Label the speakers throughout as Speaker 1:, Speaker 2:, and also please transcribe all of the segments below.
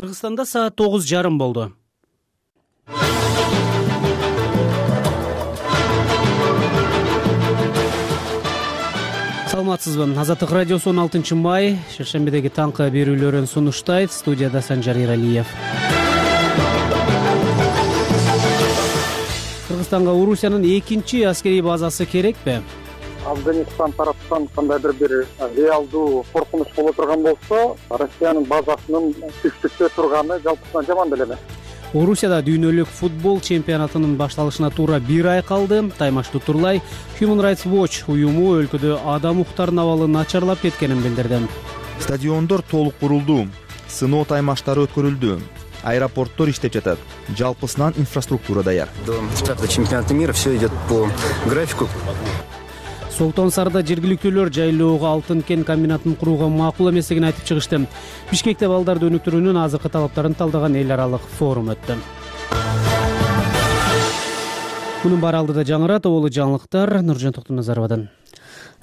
Speaker 1: Кыргызстанда саат 9:30 болду. Саламатсызбы? Азаттык радиосу 16 май шершембидеги таңкы берүүлөрүн сунуштайт. Студияда Санжар Иралиев. Кыргызстанга Орусиянын экинчи аскерий базасы керекпи?
Speaker 2: Афганистан тараптан кандайдыр бир реалдуу коркунуч боло турган болсо, Россиянын базасынын түштүктө турганы жалпысынан жаман деле эмес.
Speaker 1: Орусияда дүйнөлүк футбол чемпионатынын башталышына туура 1 ай калды. Таймаштуу Турлай Human Rights Watch уюму өлкөдө адам укуктарынын абалы начарлап кеткенин билдирди.
Speaker 3: Стадиондор толук курулду, сыноо таймаштары өткөрүлдү, аэропорттор иштеп жатат, жалпысынан инфраструктура даяр.
Speaker 4: До старта чемпионата мира все идет по графику.
Speaker 1: Солтон Сарда жергиликтүүлөр жайлоого алтын кен комбинатын курууга макул эместигин айтып чыгышты. Бишкекте балдарды өнүктүрүүнүн азыркы талаптарын талдаган эл аралык форум өттү. Мунун баары алдыда жаңырат, оболу жаңылыктар Нуржан Токтоназаровадан.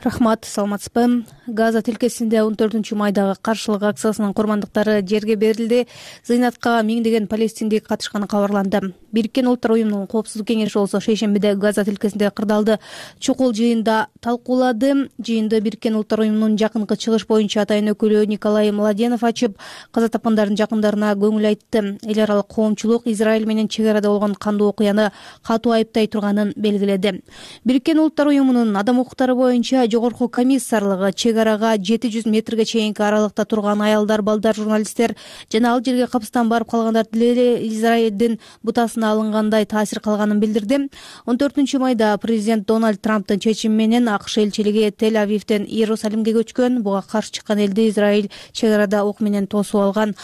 Speaker 5: Рахмат, саламатсызбы? Газа тилкесинде 14 майдагы каршылык акциясынын курмандыктары жерге берилди. Зыйнатка миңдеген палестиндик катышканы кабарланды. Бириккен Улуттар уюмунун коопсуздук кеңеши болсо шейшембиде Газа тилкесинде кырдаалды чукул жыйында талкуулады. Жыйынды Бириккен Улуттар уюмунун жакынкы чыгыш боюнча атайын өкүлү Николай Младенов ачып, каза тапкандардын жакындарына көңүл айтты. Эл аралык коомчулук Израиль менен чек арада болгон кандуу окуяны катуу айыптай турганын белгиледи. Бириккен Улуттар уюмунун адам укуктары боюнча жогорку комиссарлыгы чек арага 700 метрге чейинки аралыкта турган аялдар, балдар, журналисттер жана ал жерге капыстан барып калгандар деле Израилдин бутасына алынгандай таасир калганын билдирди. 14 майда президент Дональд Трамптын чечими менен АКШ элчилиги Тель-Авивден Иерусалимге көчкөн. Буга каршы чыккан элди Израиль чек арада ок менен тосуп алган.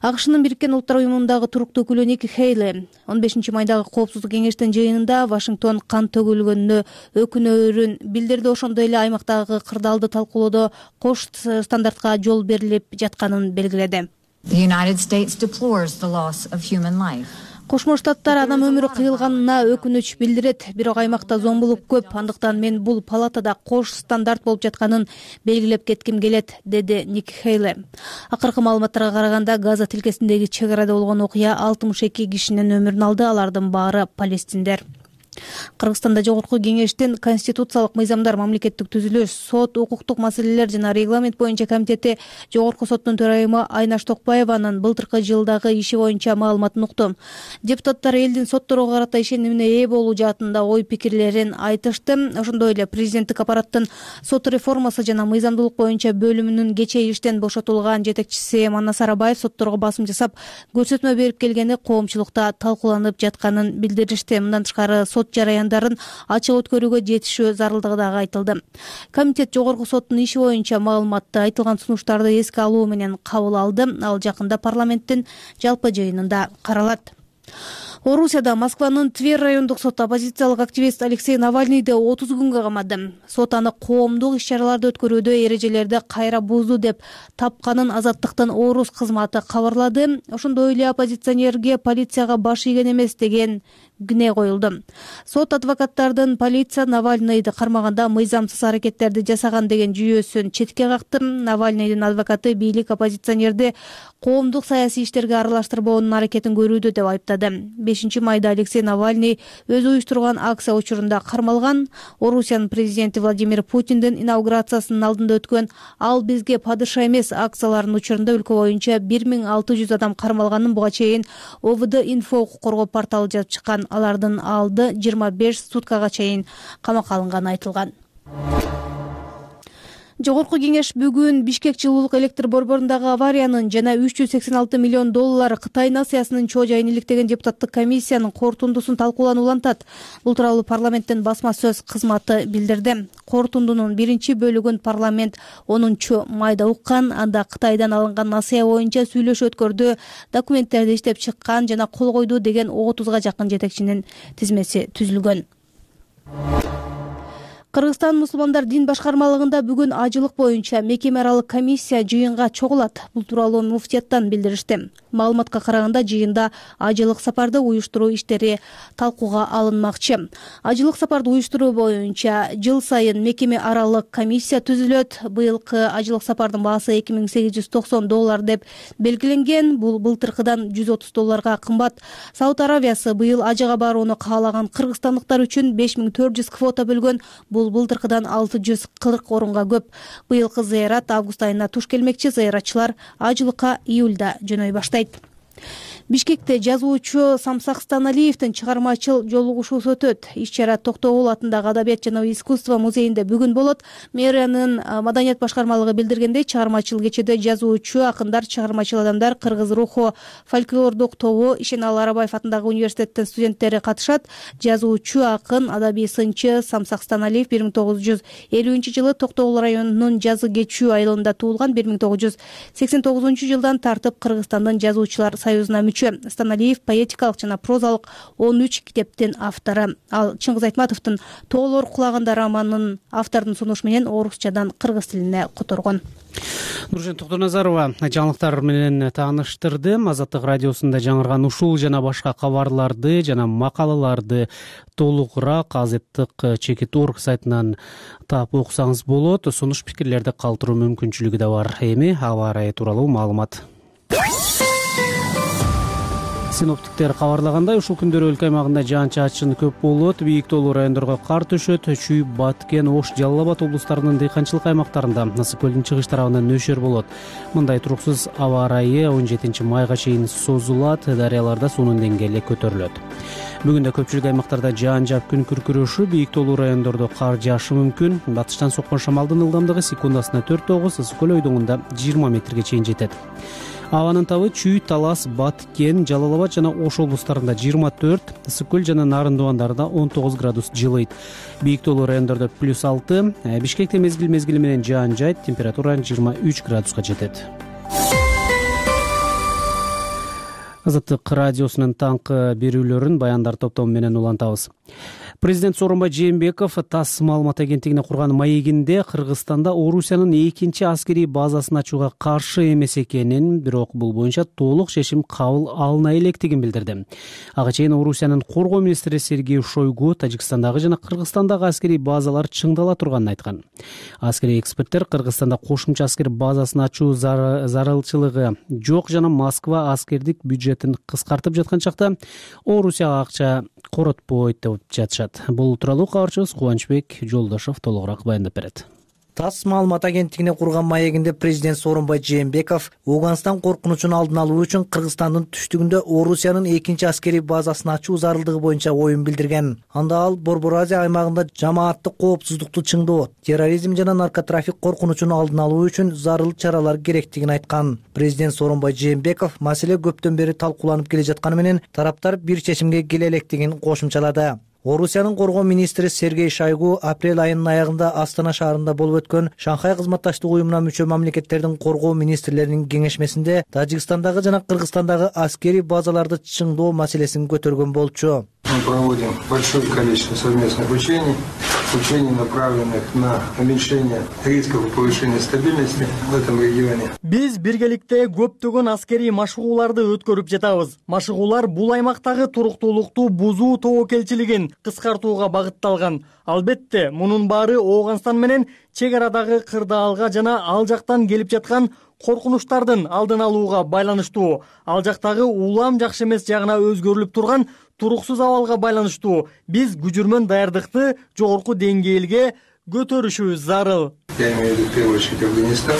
Speaker 5: АКШнын Бириккен Улуттар уюмундагы туруктуу өкүлү Ники Хейли 15 майдагы коопсуздук кеңештин жыйынында Вашингтон кан төгүлгөнүнө өкүнөөрүн билдирди. Ошондой эле аймактагы кырдаалды талкуулоодо кош стандартка жол берилип жатканын белгиледи. Кошмо Штаттар адам өмүрү кыйылганына өкүнүч билдирет, бирок аймакта зомбулук көп, андыктан мен бул палатада кош стандарт болуп жатканын белгилеп кетким келет, деди Ник Хейли. Акыркы маалыматтарга караганда Газа тилкесиндеги чек арада болгон окуя 62 кишинин өмүрүн алды, алардын баары палестиндер. Кыргызстанда жогорку кеңештин конституциялык мыйзамдар, мамлекеттик түзүлүш, сот, укуктук маселелер жана регламент боюнча комитети жогорку соттун төрайымы Айнаш Токпаеванын былтыркы жылдагы иши боюнча маалыматын укту. Депутаттар элдин сотторго карата ишенимине ээ болуу жаатында ой пикирлерин айтышты. Ошондой эле президенттик аппараттын сот реформасы жана мыйзамдуулук боюнча бөлүмүнүн кечээ иштен бошотулган жетекчиси Манас Арабаев сотторго басым жасап, көрсөтмө берип келгени коомчулукта талкууланып жатканын билдиришти. Мындан тышкары сот жараяндарын ачык өткөрүүгө жетишүү зарылдыгы дагы айтылды. Комитет жогорку соттун иши боюнча маалыматты, айтылган сунуштарды эске алуу менен кабыл алды. Ал жакында парламенттин жалпы жыйынында каралат. Орусияда Москванын Тверь райондук соту оппозициялык активист Алексей Навальныйды 30 күнгө камады. Сот аны коомдук иш-чараларды өткөрүүдө эрежелерди кайра бузду деп тапканын Азаттыктын Орус кызматы кабарлады. Ошондой эле оппозиционерге полицияга баш ийген эмес деген күнөө коюлду. Сот адвокаттардын полиция Навальныйды кармаганда мыйзамсыз аракеттерди жасаган деген жүйөсүн четке какты. Навальныйдын адвокаты бийлик оппозиционерди коомдук саясий иштерге аралаштырбоонун аракетин көрүүдө деп айыптады. 5 майда Алексей Навальный өзү уюштурган акция учурунда кармалган. Орусиянын президенти Владимир Путиндин инаугурациясынын алдында өткөн "Ал бизге падыша эмес" акцияларынын учурунда өлкө боюнча 1600 адам кармалганын буга чейин ОВД инфо укук коргоо порталы жазып чыккан. Алардын алды 25 суткага чейин камакка алынганы айтылган. Жогорку кеңеш бүгүн Бишкек жылуулук электр борборундагы авариянын жана 386 миллион доллар Кытай нациясынын чоо жайын иликтеген депутаттык комиссиянын корутундусун талкууланып улантат. Бул тууралуу парламенттин басма сөз кызматы билдирди. Корутундунун биринчи бөлүгүн парламент 10 майда уккан. Анда Кытайдан алынган насыя боюнча сүйлөшүү өткөрдү, документтерди иштеп чыккан жана кол койду деген 30га жакын жетекчинин тизмеси түзүлгөн. Кыргызстан мусулмандар дин башкармалыгында бүгүн ажылык боюнча мекеме аралык комиссия жыйынга чогулат. Бул тууралуу муфтияттан билдиришти. Маалыматка караганда жыйында ажылык сапарды уюштуруу иштери талкууга алынмакчы. Ажылык сапарды уюштуруу боюнча жыл сайын мекеме аралык комиссия түзүлөт. Быйылкы ажылык сапардын баасы $2890 деп белгиленген. Бул былтыркыдан $130 кымбат. Сауд Аравиясы быйыл ажыга барууну каалаган кыргызстандыктар үчүн 5400 квота бөлгөн. Бул былтыркыдан 640 орунга көп. Быйылкы зыярат август айына туш келмекчи. Зыяратчылар ажылыкка июлда жөнөй баштайт. Бишкекте жазуучу Самсак Станалиевдин чыгармачыл жолугушуусу өтөт. Иш-чара Токтогул атындагы Адабият жана искусство музейинде бүгүн болот. Мэриянын маданият башкармалыгы билдиргендей, чыгармачыл кечеде жазуучу, акындар, чыгармачыл адамдар, кыргыз руху фольклордук тобу, Ишеналы Арабаев атындагы университеттин студенттери катышат. Жазуучу, акын, адабий сынчы Самсак Станалиев 1950-жылы Токтогул районунун Жазы Кечүү айылында туулган. 1989-жылдан тартып Кыргызстандын жазуучулар союзуна мүчө. Станалиев поэтикалык жана прозалык 13 китептин автору. Ал Чыңгыз Айтматовдун Тоолор кулаганда романын автордун сунушу менен орусчадан кыргыз тилине которгон.
Speaker 1: Нуржан Токтоназарова жаңылыктар менен тааныштырды. Азаттык радиосунда жаңырган ушул жана башка кабарларды жана макалаларды толугураак Азаттык.org сайтынан таап окусаңыз болот. Сунуш пикирлерди калтыруу мүмкүнчүлүгү да бар. Эми аба ырайы тууралуу маалымат. Синоптиктер кабарлагандай, ушул күндөрү өлкө аймагында жаан-чачын көп болот. Бийик тоолуу райондорго кар түшөт. Чүй, Баткен, Ош, Жалал Абад облустарынын дыйканчылык аймактарында ысык көлдүн чыгыш тарабынан нөшөр болот. Мындай туруксуз аба ырайы 17 майга чейин созулат. Дарыяларда суунун деңгээли көтөрүлөт. Бүгүн да көпчүлүк аймактарда жаан жаап күн күркүрөшү, бийик тоолуу райондордо кар жаашы мүмкүн. Батыштан соккон шамалдын ылдамдыгы секундасына 4-9, ысык көл ойдоңунда 20 метрге чейин жетет. Абанын табы Чүй, Талас, Баткен, Жалал Абад жана Ош облустарында 24, ысык көл жана Нарын дубандарында 19 градус жылыйт. Бийик тоолуу райондордо +6, Бишкекте мезгил менен жаан жайт, температура 23 градуска жетет. Азаттык радиосунун таңкы берүүлөрүн баяндар топтому менен улантабыз. Президент Сооронбай Жээнбеков ТАСС маалымат агенттигине курган маегинде Кыргызстанда Орусиянын 2-чи аскерий базасын ачууга каршы эмес экенин, бирок бул боюнча толук чечим кабыл алына электигин билдирди. Ага чейин Орусиянын коргоо министри Сергей Шойгу Тажикстандагы жана Кыргызстандагы аскерий базалар чыңдала турганын айткан. Аскерий эксперттер Кыргызстанда кошумча аскер базасын ачуу зарылчылыгы жок жана Москва аскердик бюджетин кыскартып жаткан чакта Орусияга акча коротпойт деп жатышат. Бул тууралуу кабарчыбыз Кубанычбек Жолдошов толугураак баяндап берет.
Speaker 6: ТАСС маалымат агенттигине курган маегинде президент Сооронбай Жээнбеков Ауганстан коркунучун алдын алуу үчүн Кыргызстандын түштүгүндө Орусиянын 2-чи аскерий базасын ачуу зарылдыгы боюнча оюн билдирген. Анда ал Борбор Азия аймагында жамааттык коопсуздукту чыңдоо, терроризм жана наркотрафик коркунучун алдын алуу үчүн зарыл чаралар керектигин айткан. Президент Сооронбай Жээнбеков маселе көптөн бери талкууланып келе жатканы менен тараптар бир чечимге келе электигин кошумчалады. Орусиянын коргоо министри Сергей Шойгу апрель айынын аягында Астана шаарында болуп өткөн Шанхай кызматташтык уюмуна мүчө мамлекеттердин коргоо министрлеринин кеңешмесинде Тажикстандагы жана Кыргызстандагы аскерий базаларды чыңдоо маселесин көтөргөн болчу.
Speaker 7: Мы проводим большое количество совместных учений, направленных на уменьшение рисков и повышение стабильности в этом регионе.
Speaker 8: Биз биргеликте көптөгөн аскерий машыгууларды өткөрүп жатабыз. Машыгуулар бул аймактагы туруктуулукту бузуу тобокелчилигин кыскартууга багытталган. Албетте, мунун баары Ауганстан менен чек арадагы кырдаалга жана ал жактан келип жаткан коркунучтардын алдын алууга байланыштуу. Ал жактагы улам жакшы эмес жагына өзгөрүлүп турган туруксуз абалга байланыштуу. Биз күжүрмөн даярдыкты жогорку деңгээлге көтөрүшүбүз зарыл.
Speaker 7: Я имею в виду в первую очередь Афганистан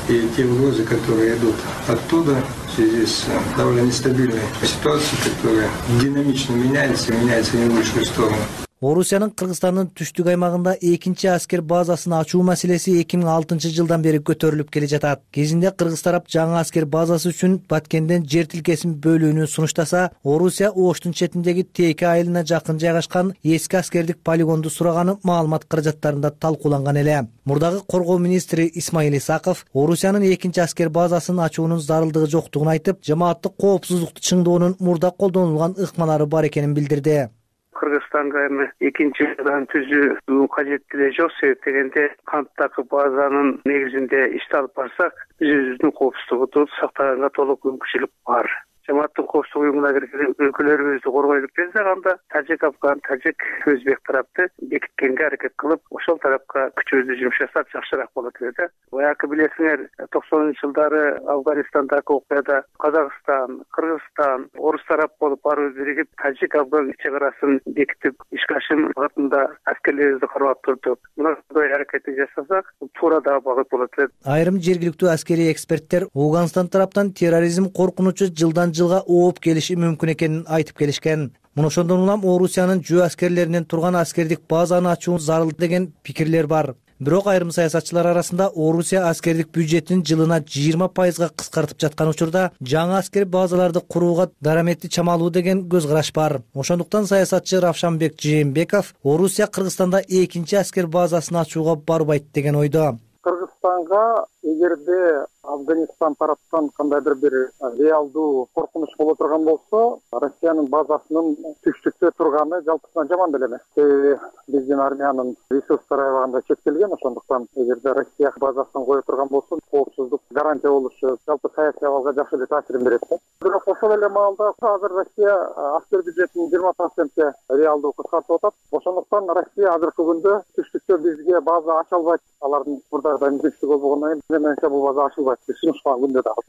Speaker 7: и те угрозы, которые идут оттуда в связи с довольно нестабильной ситуацией, которая динамично меняется не в лучшую сторону.
Speaker 6: Орусиянын Кыргызстандын түштүк аймагында 2-чи аскер базасын ачуу маселеси 2006-жылдан бери көтөрүлүп келе жатат. Кезинде Кыргыз тарап жаңы аскер базасы үчүн Баткенден жер тилкесин бөлүүнү сунуштаса, Орусия Оштун четиндеги Тейке айылына жакын жайгашкан эски аскердик полигонду сураганы маалымат каражаттарында талкууланган эле. Мурдагы коргоо министри Исмаил Исаков Орусиянын 2-чи аскер базасын ачуунун зарылдыгы жоктугун айтып, жамааттык коопсуздукту чыңдоонун мурда колдонулган ыкмалары бар экенин билдирди.
Speaker 9: Кыргызстанга эми 2-чи базаны түзүү кажеттиги жок. Себеп дегенде канттагы базанын негизинде ишти алып барсак, биз өзүбүздүн коопсуздугубузду сактаганга толук мүмкүнчүлүк бар. жамааттын коопсуздук уюмуна кирген өлкөлөрүбүздү коргойлук десек, анда тажик афган, тажик өзбек тарапты бекиткенге аракет кылып, ошол тарапка күчүбүздү жумшасак жакшыраак болот эле да. Баягы билесиңер, 90-жылдары Афганистандагы окуяда Казакстан, Кыргызстан, орус тарап болуп баарыбыз биригип тажик афган чек арасын бекитип, ишкашым багытында аскерлерибизди кармап турдук. Мындай аракетти жасасак, туура дагы багыт болот эле.
Speaker 6: Айрым жергиликтүү аскерий эксперттер Ооганстан тараптан терроризм коркунучу жылдан жылга ооп келиши мүмкүн экенин айтып келишкен. Муну ошондон улам Орусиянын жөө аскерлеринен турган аскердик базаны ачуу зарыл деген пикирлер бар. Бирок айрым саясатчылар арасында Орусия аскердик бюджетин жылына 20% кыскартып жаткан учурда жаңы аскер базаларды курууга дараметти чамалуу деген көз караш бар. Ошондуктан саясатчы Равшанбек Жээнбеков Орусия Кыргызстанда экинчи аскер базасын ачууга барбайт деген ойдо.
Speaker 2: Кыргызстанга эгерде Афганистан тараптан кандайдыр бир реалдуу коркунуч боло турган болсо, Россиянын базасынын түштүктө турганы жалпысынан жаман деле эмес. Биздин армиянын ресурстары аябагында чектелген, ошондуктан эгерде Россия базасын кое турган болсо, коопсуздук гарантия болушу жалпы саясий абалга жакшы эле таасирин берет. Бирок ошол эле маалда азыр Россия аскер бюджетин 20% реалдуу кыскартып атат. Ошондуктан Россия азыркы күндө түштүктө бизге база ача албайт. Алардын мурдагыдай мүмкүнчүлүгү болбогондон кийин менимче бул база ачылбайт.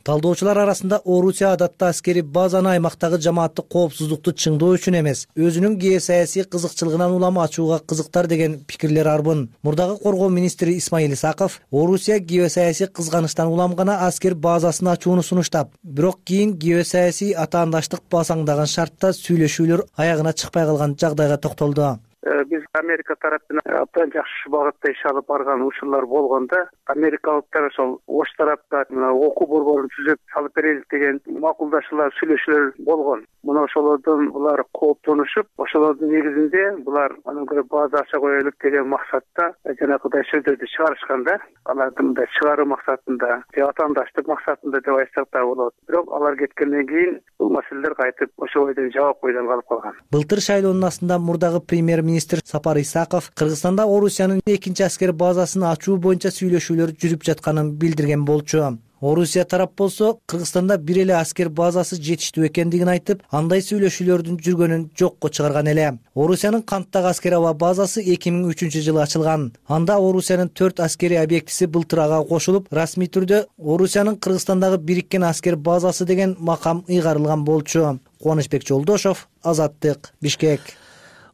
Speaker 6: Талдоочулар арасында Орусия адатта аскери базаны аймактагы жамааттык коопсуздукту чыңдоо үчүн эмес, өзүнүн геосаясий кызыкчылыгынан улам ачууга кызыктар деген пикирлер арбын. Мурдагы коргоо министри Исмаил Исаков Орусия геосаясий кызганычтан улам гана аскер базасын ачууну сунуштап, бирок кийин геосаясий атаандаштык басаңдаган шартта сүйлөшүүлөр аягына чыкпай калган жагдайга токтолду.
Speaker 9: Биз Америка тараптан абдан жакшы багытта иш алып барган учурлар болгондо, америкалыктар ошол Ош тарапка окуу борборун түзүп салып берелик деген макулдашуулар, сүйлөшүүлөр болгон. Мына ошолордон булар кооптонушуп, ошолордун негизинде булар анан көрө база ача коелук деген максатта жанагыдай сөздөрдү чыгарышкан да. Алардын да чыгаруу максатында, атаандаштык максатында деп айтсак да болот. Бирок алар кеткенден кийин бул маселелер кайтып ошол бойдон жабык бойдон калып калган.
Speaker 6: Былтыр шайлоонун астында мурдагы премьер-министр Сапар Исаков Кыргызстанда Орусиянын экинчи аскер базасын ачуу боюнча сүйлөшүүлөр жүрүп жатканын билдирген болчу. Орусия тарап болсо Кыргызстанда бир эле аскер базасы жетиштүү экендигин айтып, андай сүйлөшүүлөрдүн жүргөнүн жокко чыгарган эле. Орусиянын Канттагы аскер аба базасы 2003-жылы ачылган. Анда Орусиянын 4 аскери объектиси былтыр ага кошулуп, расмий түрдө Орусиянын Кыргызстандагы бириккен аскер базасы деген макам ыйгарылган болчу. Кубанычбек Жолдошов, Азаттык, Бишкек.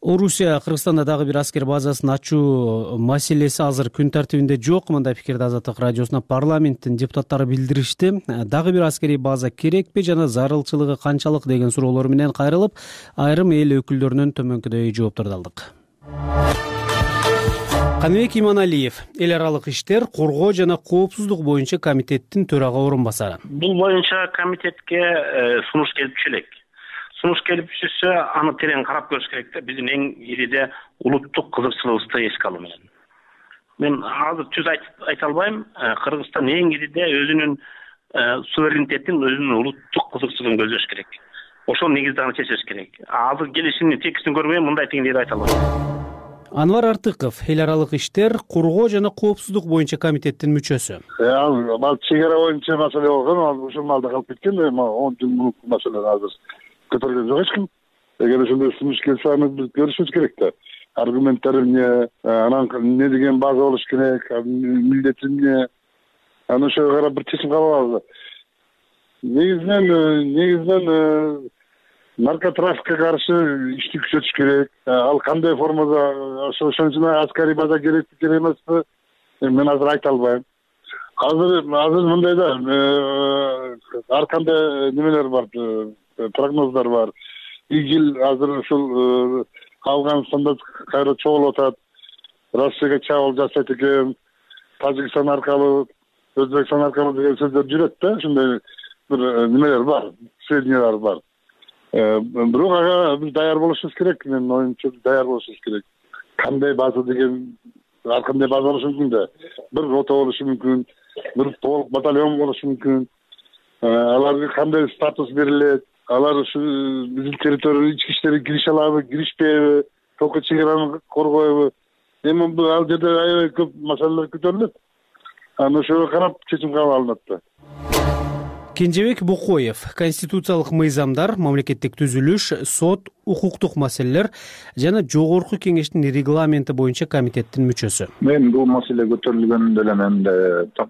Speaker 1: Орусия Кыргызстанда дагы бир аскер базасын ачуу маселеси азыр күн тартибинде жок. Мындай пикирди Азаттык радиосуна парламенттин депутаттары билдиришти. Дагы бир аскерий база керекпи жана зарылчылыгы канчалык деген суроолор менен кайрылып, айрым эл өкүлдөрүнөн төмөнкүдөй жоопторду алдык. Каныбек Иманалиев, эл аралык иштер, коргоо жана коопсуздук боюнча комитеттин төрага орун басары.
Speaker 10: Бул боюнча комитетке сунуш келип түшө элек. Сунуш келип түшсө, аны терең карап көрүш керек да, биздин эң ириде улуттук кызыкчылыгыбызды эске алуу менен. Мен азыр түз айта албайм, Кыргызстан эң ириде өзүнүн суверенитетин, өзүнүн улуттук кызыкчылыгын көздөш керек. Ошол негизде аны чечиш керек. Азыр келишимдин текстин көрмөй мындай теңдейди айта албайм.
Speaker 1: Анвар Артыков, эл аралык иштер, коргоо жана коопсуздук боюнча комитеттин мүчөсү.
Speaker 11: Ал чек ара боюнча маселе болгон, ал ушул малда калып кеткен, 10 жыл мурунку маселе азыр көтөргөн жок эч ким. Эгер ошондой сунуш келсе, аны биз көрүшүбүз керек да. Аргументтери эмне, анан эмне деген база болуш керек, милдети эмне, аны ошого карап бир чечим кабыл алалы. Негизинен наркотрафикке каршы ишти күчөтүш керек. Ал кандай формада, ошону аскери база керекпи, керек эмеспи, мен азыр айта албайм. Азыр мындай да, ар кандай немелер бар, прогноздар бар. ИГИЛ азыр ушул Афганистанда кайра чогулуп атат. Россияга чабуул жасайт экен. Тажикстан аркылуу, Өзбекстан аркылуу деген сөздөр жүрөт да, ушундай бир немелер бар, сведениялар бар. Бирок ага биз даяр болушубуз керек, менин оюмча даяр болушубуз керек. Кандай база деген, ар кандай база болушу мүмкүн да. Бир рота болушу мүмкүн, бир полк, батальон болушу мүмкүн. Аларга кандай статус берилет? Алар ушу биздин территорияга ички иштерге кирише алабы, киришпейби, толку чек араны коргойбу? Эми ал жерде аябай көп маселелер көтөрүлөт. Аны ошого карап чечим кабыл алынат да.
Speaker 1: Кенжебек Бокоев конституциялык мыйзамдар, мамлекеттик түзүлүш, сот, укуктук маселелер жана жогорку кеңештин регламенти боюнча комитеттин мүчөсү.
Speaker 12: Мен бул маселе көтөрүлгөндө эле менде так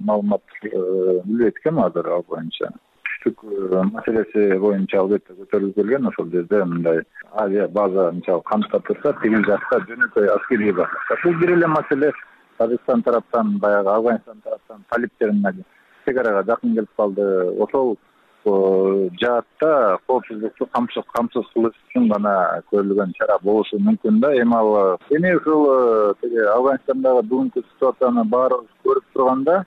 Speaker 12: маалымат билбейт экенмин азыр ал боюнча. Түштүк маселеси боюнча албетте көтөрүлүп келген, ошол жерде мындай авиа база мисалы камтап турса, тигил жакта жөнөкөй аскерий база. Бул бир эле маселе. Пакистан тараптан, баягы Афганистан тараптан талиптерин чегарага жакын келип калды. Ошол жаатта коопсуздукту камсыз кылыш үчүн гана көрүлгөн чара болушу мүмкүн да. Эми ушул Афганистандагы бүгүнкү ситуацияны баарыбыз көрүп турганда,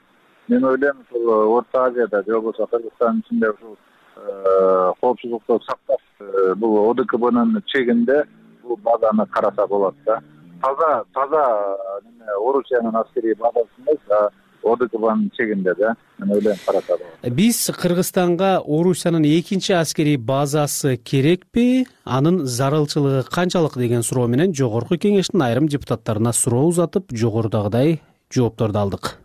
Speaker 12: мен ойлойм ушул Орто Азияда же болбосо Кыргызстандын ичинде ушул коопсуздукту сакташ бул ОДКБнын чегинде бул базаны караса болот да. Таза Орусиянын аскерий базасы эмес, ОДКБнын чегинде да. Мен ойлойм караса болот.
Speaker 1: Биз Кыргызстанга Орусиянын экинчи аскерий базасы керекпи? Анын зарылчылыгы канчалык деген суроо менен жогорку кеңештин айрым депутаттарына суроо узатып, жогорудагыдай жоопторду алдык.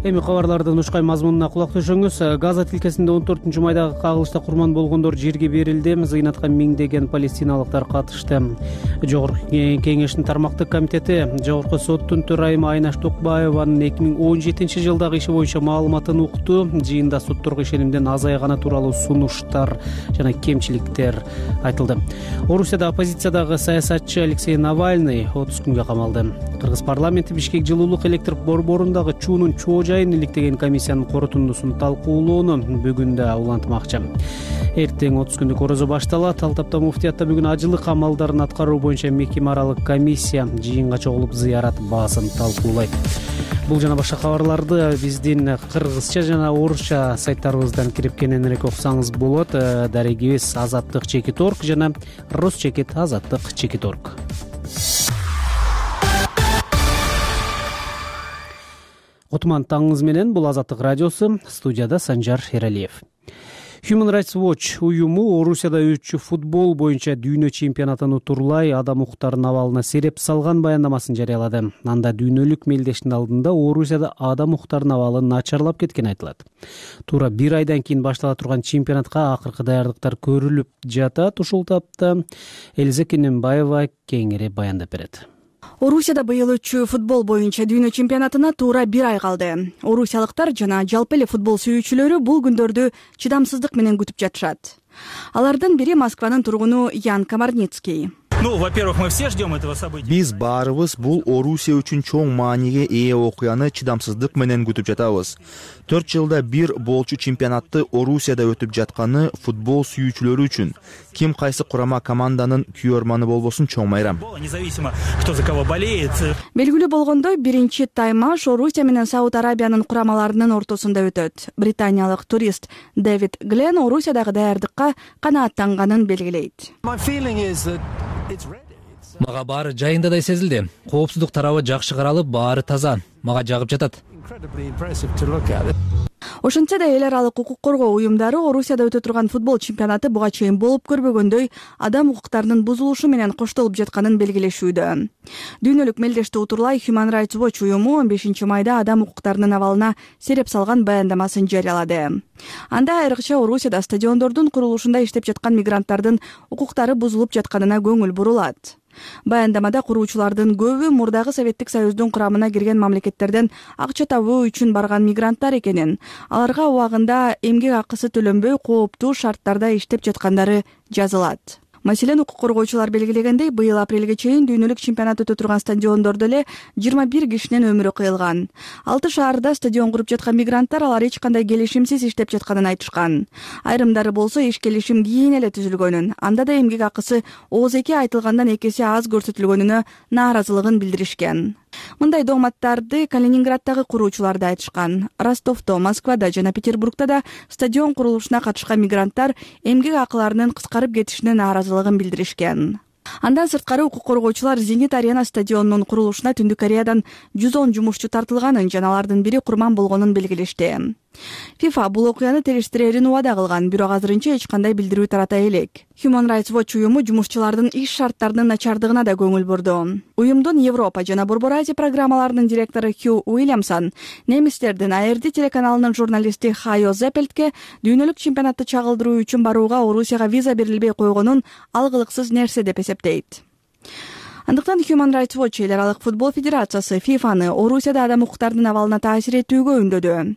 Speaker 1: Эми кабарлардын ушкай мазмунуна кулак түшүңүз. Газа тилкесинде 14-майдагы кагылышта курман болгондор жерге берилди. Зыйнатка миңдеген палестиналыктар катышты. Жогорку кеңештин тармактык комитети Жогорку соттун төрайымы Айнаш Токбаеванын 2017-жылдагы иши боюнча маалыматын укту. Жыйында сотторго ишенимден азайганы тууралуу сунуштар жана кемчиликтер айтылды. Орусияда оппозициядагы саясатчы Алексей Навальный 30 күнгө камалды. Кыргыз парламенти Бишкек жылуулук электр борборундагы чуунун чоо жайын иликтеген комиссиянын корутундусун талкуулоону бүгүн да улантмакчы. Эртең 30 күндүк орозо башталат. Алтапта муфтиятта бүгүн ажылык амалдарын аткаруу боюнча мекеме аралык комиссия жыйынга чогулуп зыярат баасын талкуулайт. Бул жана башка кабарларды биздин кыргызча жана орусча сайттарыбыздан кирип кененирээк окусаңыз болот. Дарегибиз azattik.org жана rusчекит.azattik.org. Отман таңыңыз менен, бул Азаттык радиосу, студияда Санжар Эралиев. Human Rights Watch уюму Орусияда өтчү футбол боюнча дүйнө чемпионатын утурлай Адам Укуктардын абалына сереп салган баяндамасын жарыялады. Анда дүйнөлүк мелдештин алдында Орусияда Адам Укуктардын абалы начарлап кеткени айтылат. Туура бир айдан кийин баштала турган чемпионатка акыркы даярдыктар көрүлүп жатат. Ушул тапта Элиза Кененбаева кеңири баяндап берет.
Speaker 13: Орусияда быйыл өтчү футбол боюнча дүйнө чемпионатына туура бир ай калды. Орусиялыктар жана жалпы эле футбол сүйүүчүлөрү бул күндөрдү чыдамсыздык менен күтүп жатышат. Алардын бири Москванын тургуну Ян Комарницкий.
Speaker 14: Во-первых, мы все ждем этого события.
Speaker 3: Биз баарыбыз бул Орусия үчүн чоң мааниге ээ окуяны чыдамсыздык менен күтүп жатабыз. 4 жылда бир болчу чемпионатты Орусияда өтүп жатканы футбол сүйүүчүлөрү үчүн ким кайсы курама команданын күйөрманы болбосун чоң майрам.
Speaker 14: Независимо, кто за кого болеет.
Speaker 13: Белгилүү болгондой, биринчи таймаш Орусия менен Сауд Арабиянын курамаларынын ортосунда өтөт. Британиялык турист Дэвид Глен Орусиядагы даярдыкка канааттанганын белгилейт.
Speaker 15: Мага баары жайындадай сезилди. Коопсуздук тарабы жакшы каралып, баары таза. Мага жагып жатат.
Speaker 13: Ошентсе да эл аралык укук коргоо уюмдары Орусияда өтө турган футбол чемпионаты буга чейин болуп көрбөгөндөй адам укуктарынын бузулушу менен коштолуп жатканын белгилешүүдө. Дүйнөлүк мелдешти утурлай Human Rights Watch уюму 15-майда адам укуктарынын абалына сереп салган баяндамасын жарыялады. Анда айрыкча Орусияда стадиондордун курулушунда иштеп жаткан мигранттардын укуктары бузулуп жатканына көңүл бурулат. Баяндамада куруучулардын көбү мурдагы Советтик Союздун курамына кирген мамлекеттерден акча табуу үчүн барган мигранттар экенин, аларга убагында эмгек акысы төлөнбөй кооптуу шарттарда иштеп жаткандары жазылат. Маселен, укук коргоочулар белгилегендей, быйыл апрелге чейин дүйнөлүк чемпионат өтө турган стадиондордо эле 21 кишинин өмүрү кыйылган. 6 шаарда стадион куруп жаткан мигранттар алар эч кандай келишимсиз иштеп жатканын айтышкан. Айрымдары болсо иш келишим кийин эле түзүлгөнүн, анда да эмгек акысы ооз-эки айтылгандан 2 эсе аз көрсөтүлгөнүнө нааразылыгын билдиришкен. Мындай дооматтарды Калининграддагы куруучулар да айтышкан. Ростовдо, Москвада жана Петербургда да стадион курулушуна катышкан мигранттар эмгек акыларынын кыскарып кетишине нааразылыгын билдиришкен. Андан сырткары укук коргоочулар Зенит Арена стадионунун курулушуна Түндүк Кореядан 110 жумушчу тартылганын жана алардын бири курман болгонун белгилешти. FIFA бул окуяны териштирерин убада кылган, бирок азырынча эч кандай билдирүү тарата элек. Human Rights Watch уюму жумушчулардын иш шарттарынын начардыгына да көңүл бурду. Уюмдун Европа жана Борбор Азия программаларынын директору Хью Уильямсон немистердин ARD телеканалынын журналисти Хайо Зеппельтке дүйнөлүк чемпионатты чагылдыруу үчүн барууга Орусияга виза берилбей койгонун алгылыксыз нерсе деп эсептейт. Андыктан Human Rights Watch эл аралык футбол федерациясы ФИФАны Орусияда адам укуктарынын абалына таасир этүүгө үндөдү.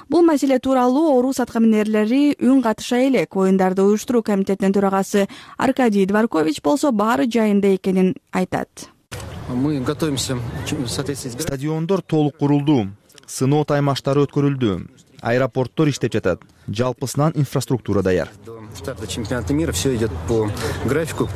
Speaker 13: Бул маселе тууралуу Орус аткаминерлери үн катыша элек. Оюндарды уюштуруу комитетинин төрагасы Аркадий Дворкович болсо баары жайында экенин айтат.
Speaker 4: Мы готовимся в соответствии с...
Speaker 3: Стадиондор толук курулду, сыноо таймаштары өткөрүлдү, аэропорттор иштеп жатат, жалпысынан инфраструктура даяр.
Speaker 4: Старта чемпионата мира все идет по графику.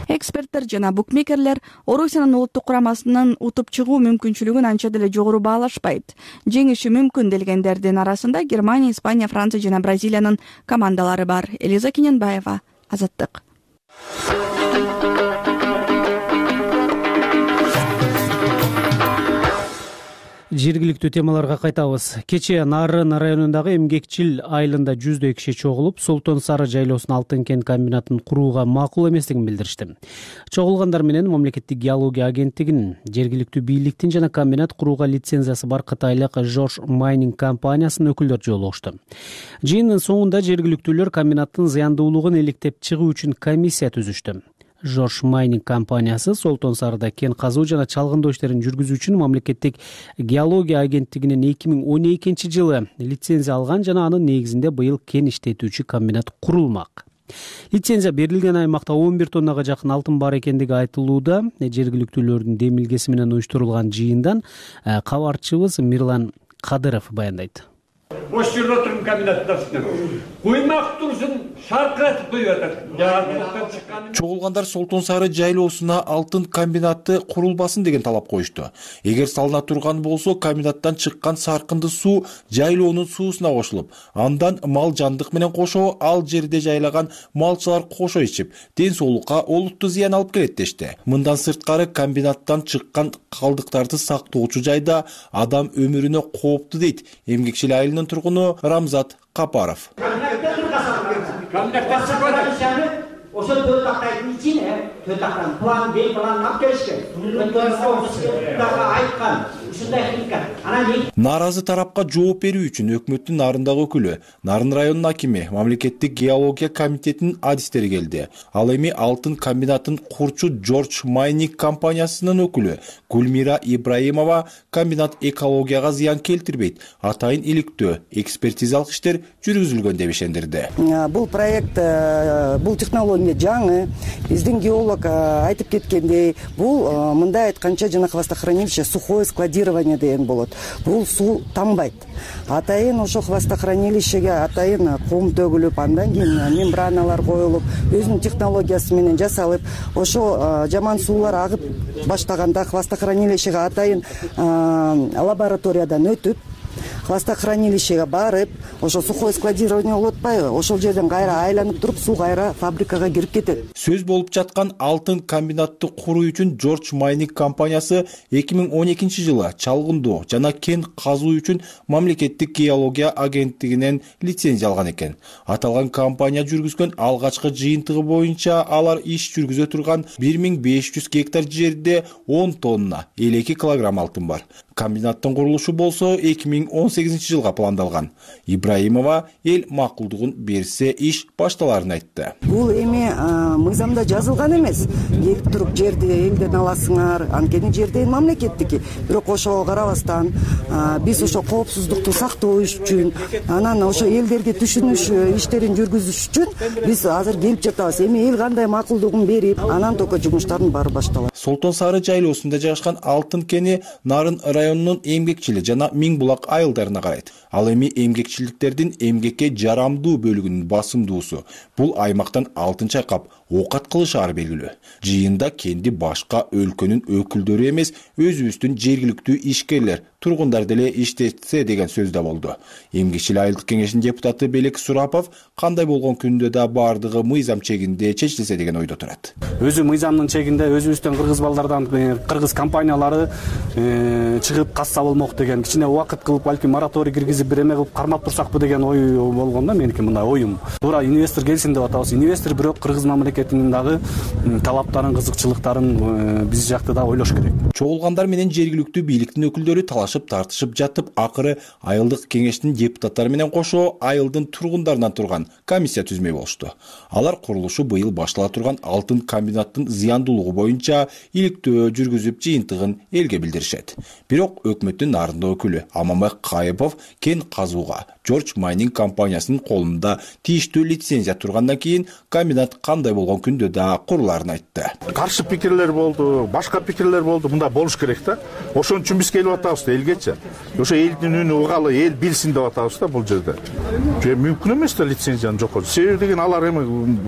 Speaker 13: Эксперттер жана букмекерлер Орусиянын улуттук курамасынын утуп чыгуу мүмкүнчүлүгүн анча деле жогору баалашпайт. Жеңиши мүмкүн делгендердин арасында Германия, Испания, Франция жана Бразилиянын командалары бар. Элиза Кененбаева, Азаттык.
Speaker 1: Жергиликтүү темаларга кайтабыз. Кечээ Нарын районундагы Эмгекчил айылында 100дөй киши чогулуп, Солтон Сары жайлоосунун алтын кен комбинатын курууга макул эместигин билдиришти. Чогулгандар менен мамлекеттик геология агенттигинин, жергиликтүү бийликтин жана комбинат курууга лицензиясы бар кытайлык George Mining компаниясынын өкүлдөрү жолугушту. Жыйындын соңунда жергиликтүүлөр комбинаттын зыяндуулугун иликтеп чыгуу үчүн комиссия түзүштү. George Mining компаниясы Солтон Сарыда кен казуу жана чалгындоо иштерин жүргүзүү үчүн мамлекеттик геология агенттигинин 2012 жылы лицензия алган жана анын негизинде быйыл кен иштетүүчү комбинат курулмак. Лицензия берилген аймакта 11 тоннага жакын алтын бар экендиги айтылууда. Жергиликтүүлөрдүн демилгеси менен уюштурулган жыйындан кабарчыбыз Мирлан Кадыров баяндайт.
Speaker 16: Ош жерде отырмын комбинаттың астынан. Куймак турсын шаркыратып коюп атат.
Speaker 17: Чогулгандар Солтон Сары жайлоосуна алтын комбинаты курулбасын деген талап коюшту. Эгер салына турган болсо, комбинаттан чыккан саркынды суу жайлоонун суусуна кошулуп, андан мал жандык менен кошо ал жерде жайлаган малчылар кошо ичип, ден соолукка олуттуу зыян алып келет дешти. Мындан сырткары комбинаттан чыккан калдыктарды сактоочу жайда адам өмүрүнө кооптуу дейт Эмгекчил айылынын тургуну Рамзат Капаров.
Speaker 18: Ошол 4 тактайдын ичине 4 тактан план Б планын алып келишкен. Айткан ушундай хилка. Анан
Speaker 17: Нааразы тарапка жооп берүү үчүн өкмөттүн Нарындагы өкүлү, Нарын районунун акими, мамлекеттик геология комитетинин адистери келди. Ал эми алтын комбинатын курчу George Mining компаниясынын өкүлү Гүлмира Ибраимова комбинат экологияга зыян келтирбейт, атайын иликтөө, экспертизалык иштер жүргүзүлгөн деп ишендирди.
Speaker 19: Бул проект, бул технология жаңы. Биздин геолог айтып кеткендей, бул мындай айтканча жана хвостохранилище сухое складирование деген болот. Бул суу тамбайт. Атайын ошо хвостохранилищеге атайын кум төгүлүп, андан кийин мембраналар коюлуп, өзүнүн технологиясы менен жасалып, ошо жаман суулар агып баштаганда хвостохранилищеге атайын лабораториядан өтүп, хвостохранилищеге барып, ошо сухое складирование болуп атпайбы? Ошол жерден кайра айланып туруп, суу кайра фабрикага кирип кетет.
Speaker 17: Сөз болуп жаткан алтын комбинатты куруу үчүн George Mining компаниясы 2012 жылы чалгындоо жана кен казуу үчүн мамлекеттик геология агенттигинен лицензия алган экен. Аталган компания жүргүзгөн алгачкы жыйынтыгы боюнча алар иш жүргүзө турган 1500 гектар жерде 10 тонна 52 килограмм алтын бар. Комбинаттын курулушу болсо 2018 жылга пландалган. Ибраимова эл макулдугун берсе иш башталарын айтты.
Speaker 19: Бул эми мыйзамда жазылган эмес. Келип туруп жерди элден аласыңар, анткени жерден мамлекеттики. Бирок ошого карабастан биз ошо коопсуздукту сактоо үчүн, анан ошо элдерге түшүнүш иштерин жүргүзүш үчүн биз азыр келип жатабыз. Эми эл кандай макулдугун берип, анан только жумуштардын баары башталат.
Speaker 17: Солтон Сары жайлоосунда жайгашкан алтын кени Нарын районунун Эмгекчили жана Миңбулак айылдарына карайт. Ал эми эмгекчилдиктердин эмгекке жарамдуу бөлүгүнүн басымдуусу. Бул аймактан алтын чайкап оокат кылышаары белгилүү. Жыйында кенди башка өлкөнүн өкүлдөрү эмес, өзүбүздүн жергиликтүү ишкерлер, тургундар деле иштетсе деген сөз да болду. Эмгекчил айылдык кеңешинин депутаты Белек Сурапов кандай болгон күндө да бардыгы мыйзам чегинде чечилсе деген ойдо турат.
Speaker 20: Өзү мыйзамдын чегинде өзүбүздүн
Speaker 1: кыргыз балдардан кыргыз компаниялары чыгып касса болмок деген кичине убакыт кылып балким мораторий киргизип бир эме кылып кармап турсакпы деген ой болгон да меники, мындай оюм. Туура инвестор келсин деп атабыз. Инвестор бирок кыргыз мамлекетинин дагы талаптарын, кызыкчылыктарын биз жакты да ойлош керек.
Speaker 17: Чогулгандар менен жергиликтүү бийликтин өкүлдөрү талашып тартышып жатып, акыры айылдык кеңештин депутаттары менен кошо айылдын тургундарынан турган комиссия түзмөй болушту. Алар курулушу быйыл баштала турган алтын комбинаттын зыяндуулугу боюнча иликтөө жүргүзүп жыйынтыгын элге билдиришет. Бирок өкмөттүн нарындоо өкүлү Аманбай Кайыпов кен казууга George Mining компаниясынын колунда тийиштүү лицензия тургандан кийин комбинат кандай болгон күндө да курулаарын айтты.
Speaker 11: Каршы пикирлер болду, башка пикирлер болду. Мында болуш керек да. Ошон үчүн биз келип атабыз да элгечи. Ошо элдин үнү угалы, эл билсин деп атабыз да бул жерде. Мүмкүн эмес да лицензияны жокотуу. Себеби деген алар эми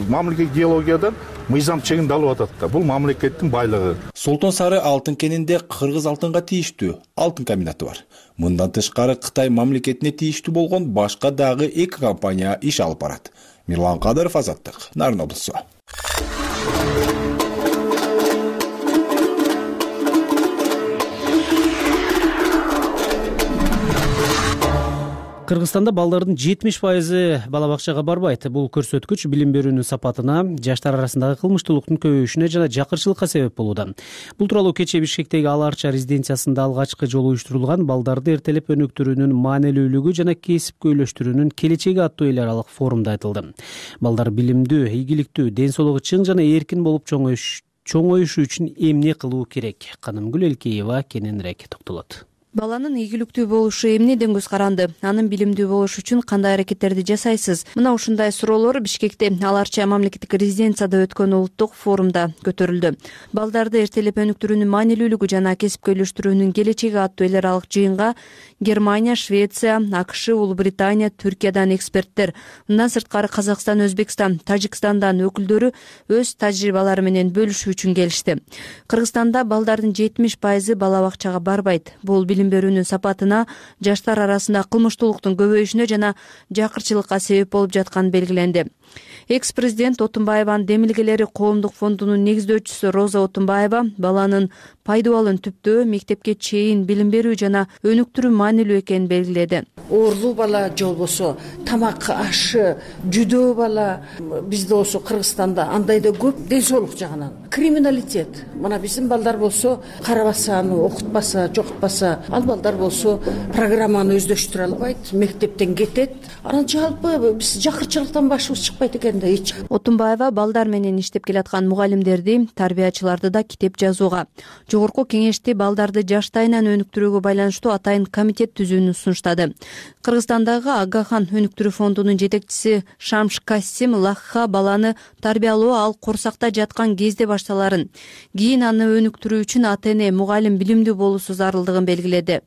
Speaker 11: мамлекет геологиядан мыйзам чегинде алып атат да. Бул мамлекеттин байлыгы.
Speaker 17: Солтон Сары алтын кенинде кыргыз алтынга тийиштүү алтын комбинаты бар. Мындан тышкары Кытай мамлекетине тийиштүү болгон башка дагы 2 компания иш алып барат. Мирлан Кадыров, Азаттык, Нарын облусу.
Speaker 1: Кыргызстанда балдардын 70% бала бакчага барбайт. Бул көрсөткүч билим берүүнүн сапатына, жаштар арасындагы кылмыштуулуктун көбөйүшүнө жана жакырчылыкка себеп болууда. Бул тууралуу кечээ Бишкектеги Ал Арча резиденциясында алгачкы жолу уюштурулган балдарды эртелеп өнүктүрүүнүн маанилүүлүгү жана кесипкө үйлөштүрүүнүн келечеги аттуу эл аралык форумда айтылды. Балдар билимдүү, ийгиликтүү, ден соолугу чың жана эркин болуп чоңоюшу үчүн эмне кылуу керек? Канымгүл Элкеева кененирээк токтолот.
Speaker 5: Баланын ийгиликтүү болушу эмнеден көз каранды? Анын билимдүү болушу үчүн кандай аракеттерди жасайсыз? Мына ушундай суроолор Бишкекте Ал Арча мамлекеттик резиденцияда өткөн улуттук форумда көтөрүлдү. Балдарды эртелеп өнүктүрүүнүн маанилүүлүгү жана кесипкө үйлөштүрүүнүн келечеги аттуу эл аралык жыйынга Германия, Швеция, АКШ, Улуу Британия, Түркиядан эксперттер, мындан сырткары Казакстан, Өзбекстан, Тажикстандан өкүлдөрү өз тажрыйбалары менен бөлүшүү үчүн келишти. Кыргызстанда балдардын 70% бала бакчага барбайт. Бул билим берүүнүн сапатына, жаштар арасында кылмыштуулуктун көбөйүшүнө жана жакырчылыкка себеп болуп жатканы белгиленди. Экс-президент Отунбаеванын Демилгелери коомдук фондунун негиздөөчүсү Роза Отунбаева баланын пайдубалын түптөө, мектепке чейин билим берүү жана өнүктүрүү маанилүү экенин белгиледи.
Speaker 20: Оорулуу бала же болбосо тамак ашы жүдөө бала бизде болсо Кыргызстанда андай да көп ден соолук жагынан. Криминалитет. Мына биздин балдар болсо карабаса, аны окутпаса, жокутпаса, ал балдар болсо программаны өздөштүрө албайт, мектептен кетет. Анан жалпы биз жакырчылыктан башыбыз чыкпайт экен да эч.
Speaker 5: Отунбаева балдар менен иштеп келаткан мугалимдерди, тарбиячыларды да китеп жазууга, жогорку кеңешти балдарды жаштайынан өнүктүрүүгө байланыштуу атайын комитет түзүүнү сунуштады. Кыргызстандагы Агахан өнүктүрүү фондунун жетекчиси Шамш Касим Лахха баланы тарбиялоо ал корсакта жаткан кезде башталарын, кийин аны өнүктүрүү үчүн ата-эне, мугалим билимдүү болуусу зарылдыгын белгиледи.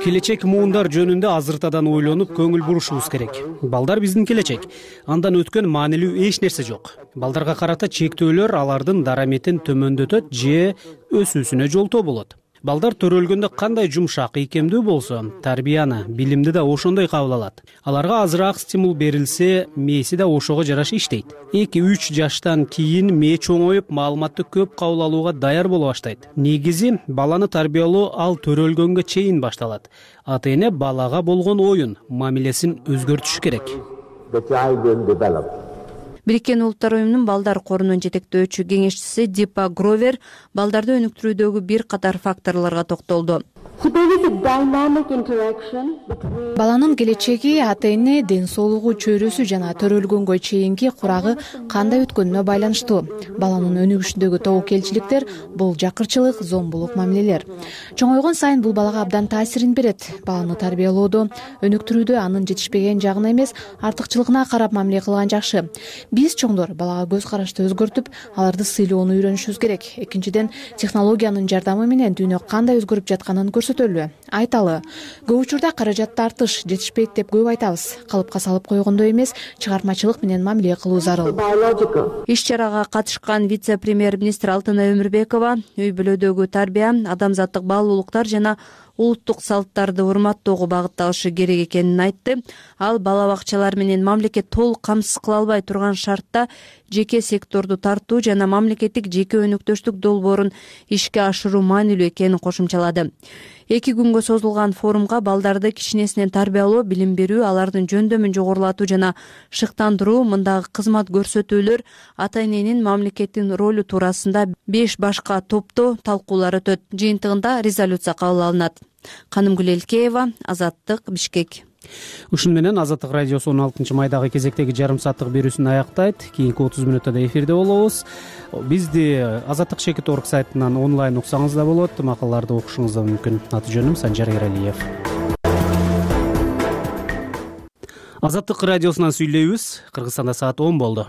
Speaker 1: Келечек муундар жөнүндө азыртадан ойлонуп көңүл бурушубуз керек. Балдар биздин келечек. Андан өткөн маанилүү эч нерсе жок. Балдарга карата чектөөлөр алардын дараметин төмөндөтөт же өсүүсүнө жолтоо болот. Балдар төрөлгөндө кандай жумшак, ийкемдүү болсо, тарбияны, билимди да ошондой кабыл алат. Аларга азыраак стимул берилсе, мээси да ошого жараша иштейт. 2-3 жаштан кийин мээ чоңоюп, маалыматты көп кабыл алууга даяр боло баштайт. Негизи баланы тарбиялоо ал төрөлгөнгө чейин башталат. Ата-эне балага болгон оюн, мамилесин өзгөртүш керек.
Speaker 5: Бириккен Улуттар уюмунун балдар корунун жетектөөчү кеңешчиси Дипа Гровер балдарды өнүктүрүүдөгү бир катар факторлорго токтолду.
Speaker 21: Баланын келечеги ата-эне, ден соолугу, чөйрөсү жана төрөлгөнгө чейинки курагы кандай өткөнүнө байланыштуу. Баланын өнүгүшүндөгү тобокелчиликтер бул жакырчылык, зомбулук мамилелер. Чоңойгон сайын бул балага абдан таасирин берет. Баланы тарбиялоодо, өнүктүрүүдө анын жетишпеген жагына эмес, артыкчылыгына карап мамиле кылган жакшы. Биз чоңдор балага көз карашты өзгөртүп, аларды сыйлоону үйрөнүшүбүз керек. Экинчиден, технологиянын жардамы менен дүйнө кандай өзгөрүп жатканын көрсөтөлү, айталы. Көп учурда каражат тартыш, жетишпейт деп көп айтабыз. Калыпка салып койгондой эмес, чыгармачылык менен мамиле кылуу зарыл.
Speaker 5: Иш-чарага катышкан вице-премьер-министр Алтынай Өмүрбекова үй бүлөдөгү тарбия, адамзаттык баалуулуктар жана
Speaker 8: улуттук салттарды урматтоого багытталышы керек экенин айтты. Ал бала бакчалар менен мамлекет толук камсыз кыла албай турган шартта жеке секторду тартуу жана мамлекеттик жеке өнөктөштүк долбоорун ишке ашыруу маанилүү экенин кошумчалады. 2 күнгө созулган форумга балдарды кичинесинен тарбиялоо, билим берүү, алардын жөндөмүн жогорулатуу жана шыктандыруу, мындагы кызмат көрсөтүүлөр, ата-эненин мамлекеттин ролу туурасында 5 башка топто талкуулар өтөт. Жыйынтыгында резолюция кабыл алынат. Канымгүл Элкеева, Азаттык, Бишкек.
Speaker 1: Ушун менен Азаттык радиосу 16 майдагы кезектеги жарым сааттык берүүсүн аяктайт. Кийинки 30 мүнөттө да эфирде болобуз. Бизди Azаттык.org сайтынан онлайн уксаңыз да болот. Макалаларды окушуңуз да мүмкүн. Аты жөнүм Санжар Эралиев. Азаттык радиосунан сүйлөйбүз. Кыргызстанда саат 10 болду.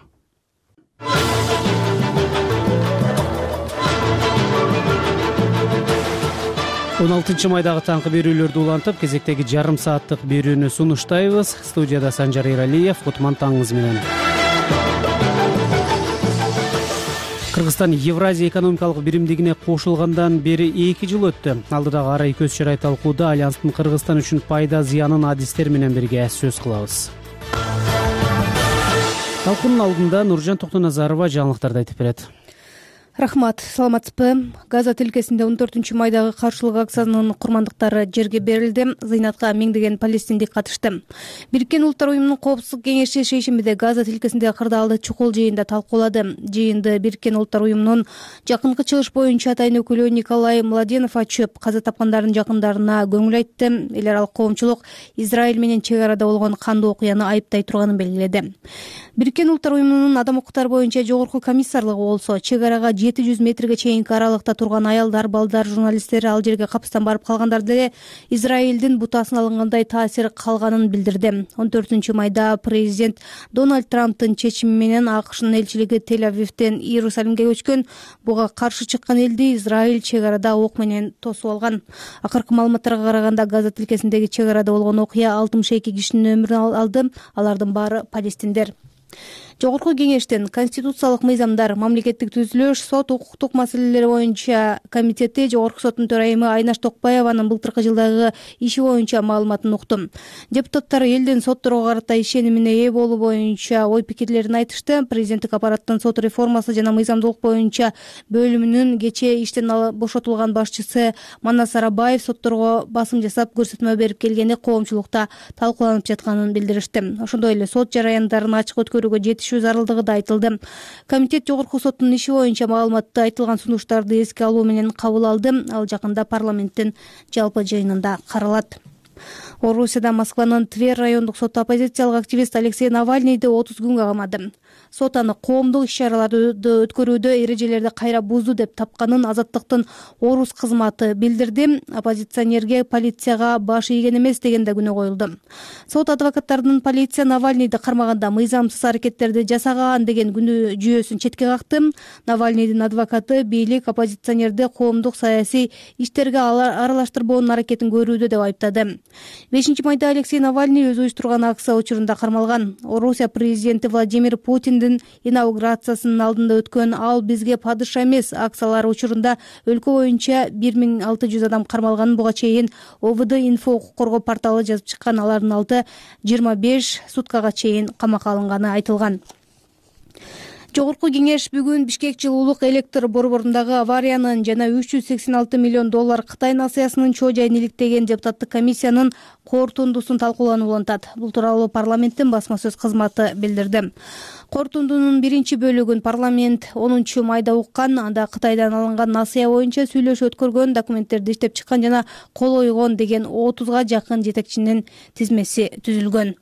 Speaker 1: Он 16 майдагы таңкы берүүлөрдү улантып, кезектеги жарым сааттык берүүнү сунуштайбыз. Студияда Санжар Эралиев, Кутман таңыңыз менен. Кыргызстан Евразия экономикалык биримдигине кошулгандан бери 2 жыл өттү. Алдыдагы арай көз чарай талкууда Альянстын Кыргызстан үчүн пайда зыянын адистер менен бирге сөз кылабыз. Талкуунун алдында Нуржан Токтоназарова жаңылыктарды айтып берет.
Speaker 5: Рахмат, саламатсызбы? Газа тилкесинде 14 майдагы каршылык акциянын курмандыктары жерге берилди. Зыйнатка миңдеген палестиндик катышты. Бириккен Улуттар уюмунун коопсуздук кеңеши шейшембиде Газа тилкесиндеги кырдаалды чукул жыйында талкуулады. Жыйынды Бириккен Улуттар уюмунун жакынкы чыгыш боюнча атайын өкүлү Николай Младенов ачып, каза тапкандардын жакындарына көңүл айтты. Эл аралык коомчулук Израиль менен чек арада болгон кандуу окуяны айыптай турганын белгиледи. Бириккен Улуттар уюмунун адам укуктары боюнча жогорку комиссарлыгы болсо, чек арага 700 метрге чейинки аралыкта турган аялдар, балдар, журналисттер ал жерге капыстан барып калгандарда эле Израилдин бутасын алынгандай таасир калганын билдирди. 14 майда президент Дональд Трамптын чечими менен АКШнын элчилиги Тель-Авивден Иерусалимге көчкөн. Буга каршы чыккан элди Израиль чек арада ок менен тосуп алган. Акыркы маалыматтарга караганда Газа тилкесиндеги чек арада болгон окуя 62 кишинин өмүрүн алды. Алардын баары палестиндер. Жогорку кеңештин конституциялык мыйзамдар, мамлекеттик түзүлүш, сот укуктук маселелери боюнча комитети Жогорку соттун төрайымы Айнаш Токпаеванын былтыркы жылдагы иши боюнча маалыматын укту. Депутаттар элдин сотторго карата ишенимине ээ болуу боюнча ой пикирлерин айтышты. Президенттик аппараттын сот реформасы жана мыйзамдуулук боюнча бөлүмүнүн кечээ иштен бошотулган башчысы Манас Арабаев сотторго басым жасап көрсөтмө берип келгени коомчулукта талкууланып жатканын билдиришти. Ошондой эле сот жараяндарын ачык өткөрүүгө жетишүү зарылдыгы да айтылды. Комитет Жогорку соттун иши боюнча маалыматты айтылган сунуштарды эске алуу менен кабыл алды. Ал жакында парламенттин жалпы жыйынында каралат. Орусияда Москванын Тверь райондук соту оппозициялык активист Алексей Навальныйды 30 күнгө камады. Сот аны коомдук иш-чараларды өткөрүүдө эрежелерди кайра бузду деп тапканын Азаттыктын Орус кызматы билдирди. Оппозиционерге полицияга баш ийген эмес деген да күнөө коюлду. Сот адвокаттарынын полиция Навальныйды кармаганда мыйзамсыз аракеттерди жасаган деген күнөө жүйөсүн четке какты. Навальныйдын адвокаты бийлик оппозиционерди коомдук саясий иштерге аралаштырбоонун аракетин көрүүдө деп айыптады. 5 майда Алексей Навальный өзү уюштурган акция учурунда кармалган. Орусия президенти Владимир Путиндин инаугурациясынын алдында өткөн "Ал бизге падыша эмес" акциялары учурунда өлкө боюнча 1600 адам кармалганын буга чейин ОВД инфо укук коргоо порталы жазып чыккан. Алардын алты 25 суткага чейин камакка алынганы айтылган. Жогорку кеңеш бүгүн Бишкек жылуулук электр борборундагы авариянын жана 386 миллион доллар Кытай насыясынын чоо жайын иликтеген депутаттык комиссиянын корутундусун талкууланып улантат. Бул тууралуу парламенттин басма сөз кызматы билдирди. Корутундунун биринчи бөлүгүн парламент 10 майда уккан. Анда Кытайдан алынган насыя боюнча сүйлөшүү өткөргөн, документтерди иштеп чыккан жана кол ойгон деген 30га жакын жетекчинин тизмеси түзүлгөн.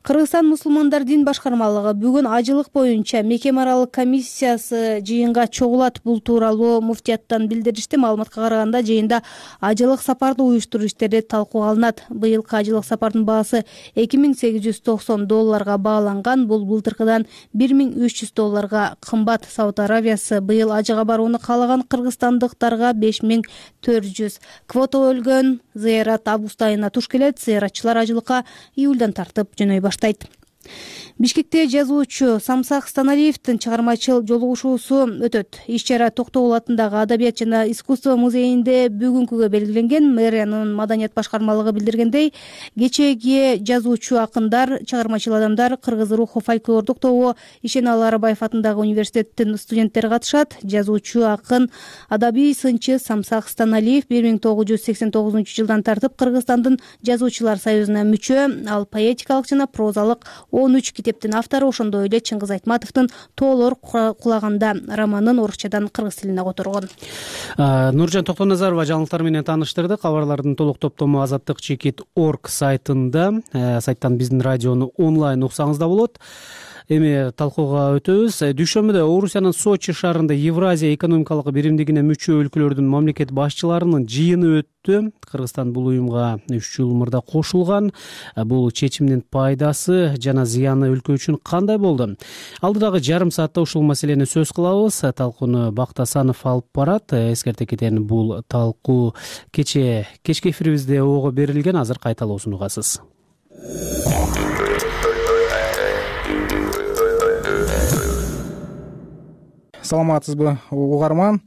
Speaker 5: Кыргызстан мусулмандар дин башкармалыгы бүгүн ажылык боюнча мекеме аралык комиссиясы жыйынга чогулат. Бул тууралуу муфтияттан билдиришти. Маалыматка караганда жыйында ажылык сапарды уюштуруу иштери талкууга алынат. Быйылкы ажылык сапардын баасы $2890 бааланган. Бул былтыркыдан $1300 кымбат. Сауд Аравиясы быйыл ажыга барууну каалаган кыргызстандыктарга 5400 квота бөлгөн. Зыярат август айына туш келет. Зыяратчылар ажылыкка июлдан тартып жөнөй баштайт. Бишкекте жазуучу Самсак Станалиевдин чыгармачыл жолугушуусу өтөт. Иш-чара Токтогул атындагы Адабият жана искусство музейинде бүгүнкүгө белгиленген. Мэриянын маданият башкармалыгы билдиргендей, кечеги жазуучу, акындар, чыгармачыл адамдар, кыргыз руху фольклордук тобу, Ишеналы Арабаев атындагы университеттин студенттери катышат. Жазуучу, акын, адабий сынчы Самсак Станалиев 1989 тартып Кыргызстандын жазуучулар союзуна мүчө. Ал поэтикалык жана прозалык 13 китептин автору. Ошондой эле Чыңгыз Айтматовдун Тоолор кулаганда романын орусчадан кыргыз тилине которгон.
Speaker 1: Нуржан Токтоназарова жаңылыктар менен тааныштырды. Кабарлардын толук топтому azatdыk.org сайтында. Сайттан биздин радиону онлайн уксаңыз да болот. Эми талкууга өтөбүз. Дүйшөмбүдө Орусиянын Сочи шаарында Евразия экономикалык биримдигине мүчө өлкөлөрдүн мамлекет башчыларынын жыйыны өттү. Кыргызстан бул уюмга 3 жыл мурда кошулган. Бул чечимдин пайдасы жана зыяны өлкө үчүн кандай болду? Алдыдагы жарым саатта ушул маселени сөз кылабыз. Талкууну Бактасанов алып барат. Эскерте кетейин, бул талкуу кечки эфирибизде ого берилген. Азыр кайталоосун угасыз.
Speaker 7: Саламатсызбы угарман?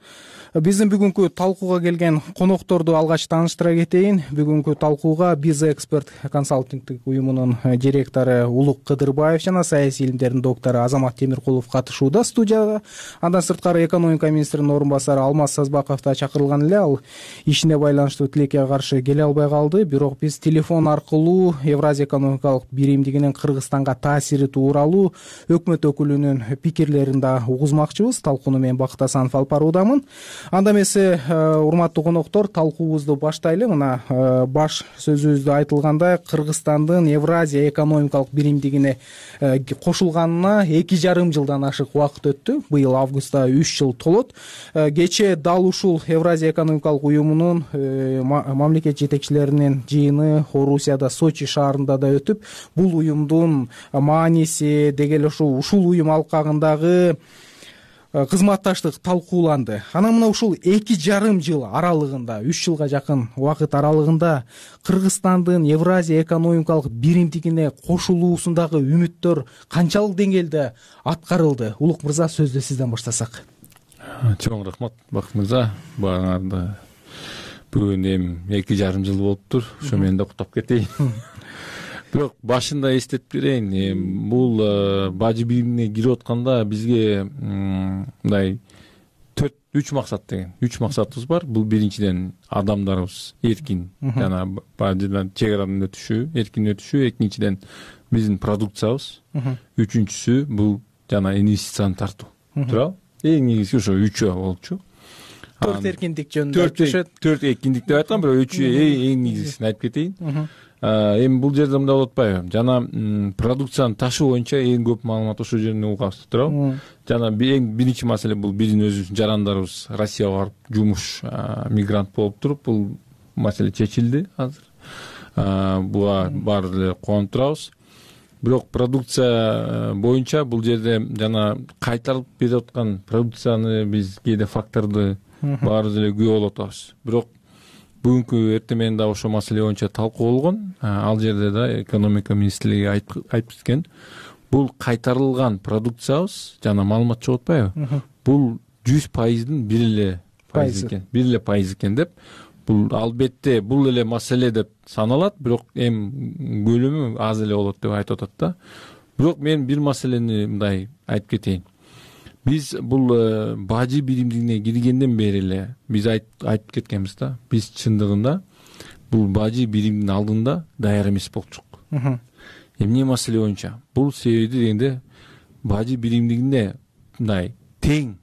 Speaker 7: Биздин бүгүнкү талкууга келген конокторду алгач тааныштыра кетейин. Бүгүнкү талкууга Биз Эксперт консалтингдик уюмунун директору Улук Кыдырбаев жана саясий илимдердин доктору Азамат Темиркулов катышууда студияда. Андан сырткары экономика министринин орун басары Алмаз Сазбаков да чакырылган эле. Ал ишине байланыштуу тилекке каршы келе албай калды. Бирок биз телефон аркылуу Евразия экономикалык биримдигинин Кыргызстанга таасири тууралуу өкмөт өкүлүнүн пикирлерин да угузмакчыбыз. Талкууну мен Бактасанов алып баруудамын. Анда эмесе, урматтуу коноктор, талкуубузду баштайлы. Мына баш сөзүбүздө айтылгандай, Кыргызстандын Евразия экономикалык биримдигине кошулганына 2,5 жылдан ашык убакыт өттү. Быйыл августта 3 жыл толот. Кечээ дал ушул Евразия экономикалык уюмунун мамлекет жетекчилеринин жыйыны Орусияда Сочи шаарында да өтүп, бул уюмдун мааниси деги эле ушул уюм алкагындагы кызматташтык талкууланды. Анан мына ушул 2,5 жыл аралыгында, 3 жылга жакын убакыт аралыгында Кыргызстандын Евразия экономикалык биримдигине кошулуусундагы үмүттөр канчалык деңгээлде аткарылды? Улук мырза, сөздү сизден баштасак.
Speaker 22: Чоң рахмат, Бакыт мырза. Багаңарда бүгүн эми 2,5 жыл болуптур. Ошо мен да куттап кетейин. Бирок башында эстетип берейин, бул бажы биримине кирип атканда бизге мындай 3 максат деген. 3 максатыбыз бар. Бул биринчиден адамдарыбыз эркин жана бажыдан чек арадан өтүшү, эркин өтүшү, экинчиден биздин продукциябыз, үчүнчүсү бул жана инвестицияны тартуу. Туурабы? Эң негизги ошо 3 болчу.
Speaker 7: 4 эркиндик жөнүндө өтүшөт.
Speaker 22: 4 эркиндик деп айткам, бирок 3 эң негизгисин айтып кетейин. Эми бул жерде мындай болуп атпайбы? Жана продукцияны ташуу боюнча эң көп маалымат ошол жерден угабыз, туурабы? Жана эң биринчи маселе бул биздин өзүбүздүн жарандарыбыз Россияга барып жумуш мигрант болуп туруп, бул маселе чечилди азыр. Буга баары эле кубанып турабыз. Бирок продукция боюнча бул жерде жана кайтарылып берип аткан продукцияны биз кээде факторду баарыбыз эле күбө болуп атабыз. Бирок бүгүнкү эртең менен да ошол маселе боюнча талкуу болгон. Ал жерде да экономика министрлиги айтып кеткен. Бул кайтарылган продукциябыз жана маалымат чыгып атпайбы? Бул 100%дын бир эле пайыз экен деп. Бул албетте бул эле маселе деп саналат, бирок эми көлөмү аз эле болот деп айтып атат да. Бирок мен бир маселени мындай айтып кетейин. Биз бул бажы биримдигине киргенден бери эле биз айтып кеткенбиз да. Биз чындыгында бул бажы биримдин алдында даяр эмес болчук. Эмне маселе боюнча? Бул себеби дегенде бажы биримдигинде мындай тең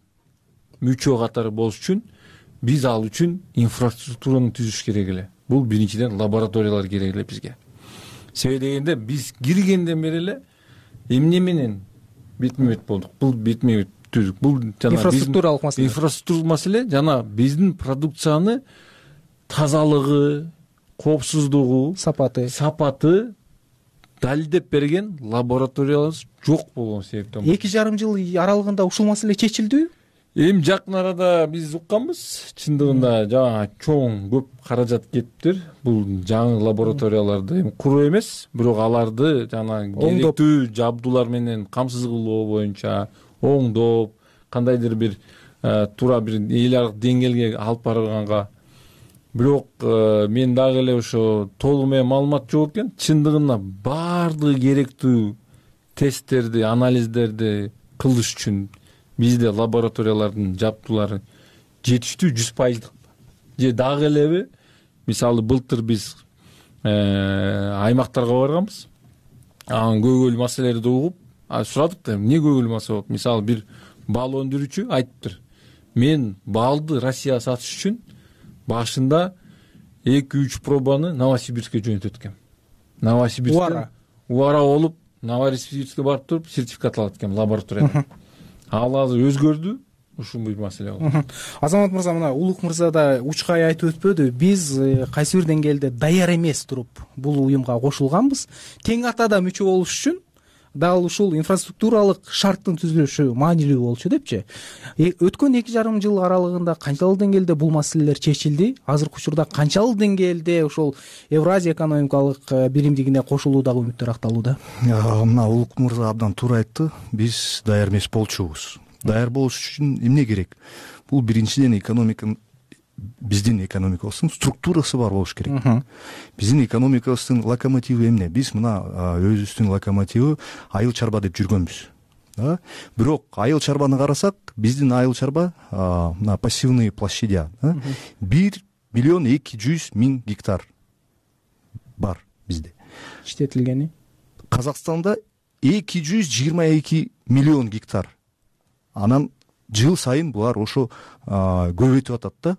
Speaker 22: мүчө катары болуш үчүн биз ал үчүн инфраструктураны түзүш керек эле. Бул биринчиден лабораториялар керек эле бизге. Себеби дегенде биз киргенден бери эле эмне менен бетме-бет болдук. Бул бетме-бет түздүк. Бул жана
Speaker 7: инфраструктуралык маселе.
Speaker 22: Инфраструктуралык маселе жана биздин продукцияны тазалыгы, коопсуздугу, сапаты далилдеп берген лабораториялар жок болгон себептен.
Speaker 7: 2,5 жыл аралыгында ушул маселе чечилдиби?
Speaker 22: Эми жакын арада биз укканбыз, чындыгында жаңа чоң көп каражат кетиптир. Бул жаңы лабораторияларды эми куруу эмес, бирок аларды жана керектүү жабдуулар менен камсыз кылуу боюнча оңдоп, кандайдыр бир туура бир эл аралык деңгээлге алып барганга. Бирок мен дагы эле ошо толук менен маалымат жок экен. Чындыгында баардыгы керектүү тесттерди, анализдерди кылыш үчүн бизде лабораториялардын жабдуулары жетиштүү 100%. Же дагы элеби? Мисалы былтыр биз аймактарга барганбыз. Анын көйгөйлүү маселелерди угуп, сурадык да, эмне көйгөйлүү маселе болуп? Мисалы бир бал өндүрүүчү айтыптыр. Мен балды Россияга сатыш үчүн башында 2-3 пробаны Новосибирскке жөнөтөт экем. Новосибирскте убара болуп, Новосибирскке барып туруп сертификат алат экен лабораториядан. Ал азыр өзгөрдү, ушул бир маселе болду.
Speaker 7: Азамат мырза, мына Улук мырза да учкай айтып өтпөдү. Биз кайсы бир деңгээлде даяр эмес туруп бул уюмга кошулганбыз. Тең атада мүчө болуш үчүн дал ушул инфраструктуралык шарттын түзүлүшү маанилүү болчу депчи. Өткөн 2,5 жыл аралыгында канчалык деңгээлде бул маселелер чечилди? Азыркы учурда канчалык деңгээлде ошол Евразия экономикалык биримдигине кошулуудагы үмүттөр акталууда?
Speaker 2: Мына Улук мырза абдан туура айтты. Биз даяр эмес болчубуз. Даяр болуш үчүн эмне керек? Бул биринчиден биздин экономикабыздын структурасы бар болуш керек. Биздин экономикабыздын локомотиви эмне? Биз мына өзүбүздүн локомотиви айыл чарба деп жүргөнбүз. Бирок айыл чарбаны карасак, биздин айыл чарба мына пассивный площадя 1,2 гектар бар бизде.
Speaker 7: Иштетилгени?
Speaker 2: Казакстанда 222 миллион гектар. Анан жыл сайын булар ошо көбөйтүп атат да.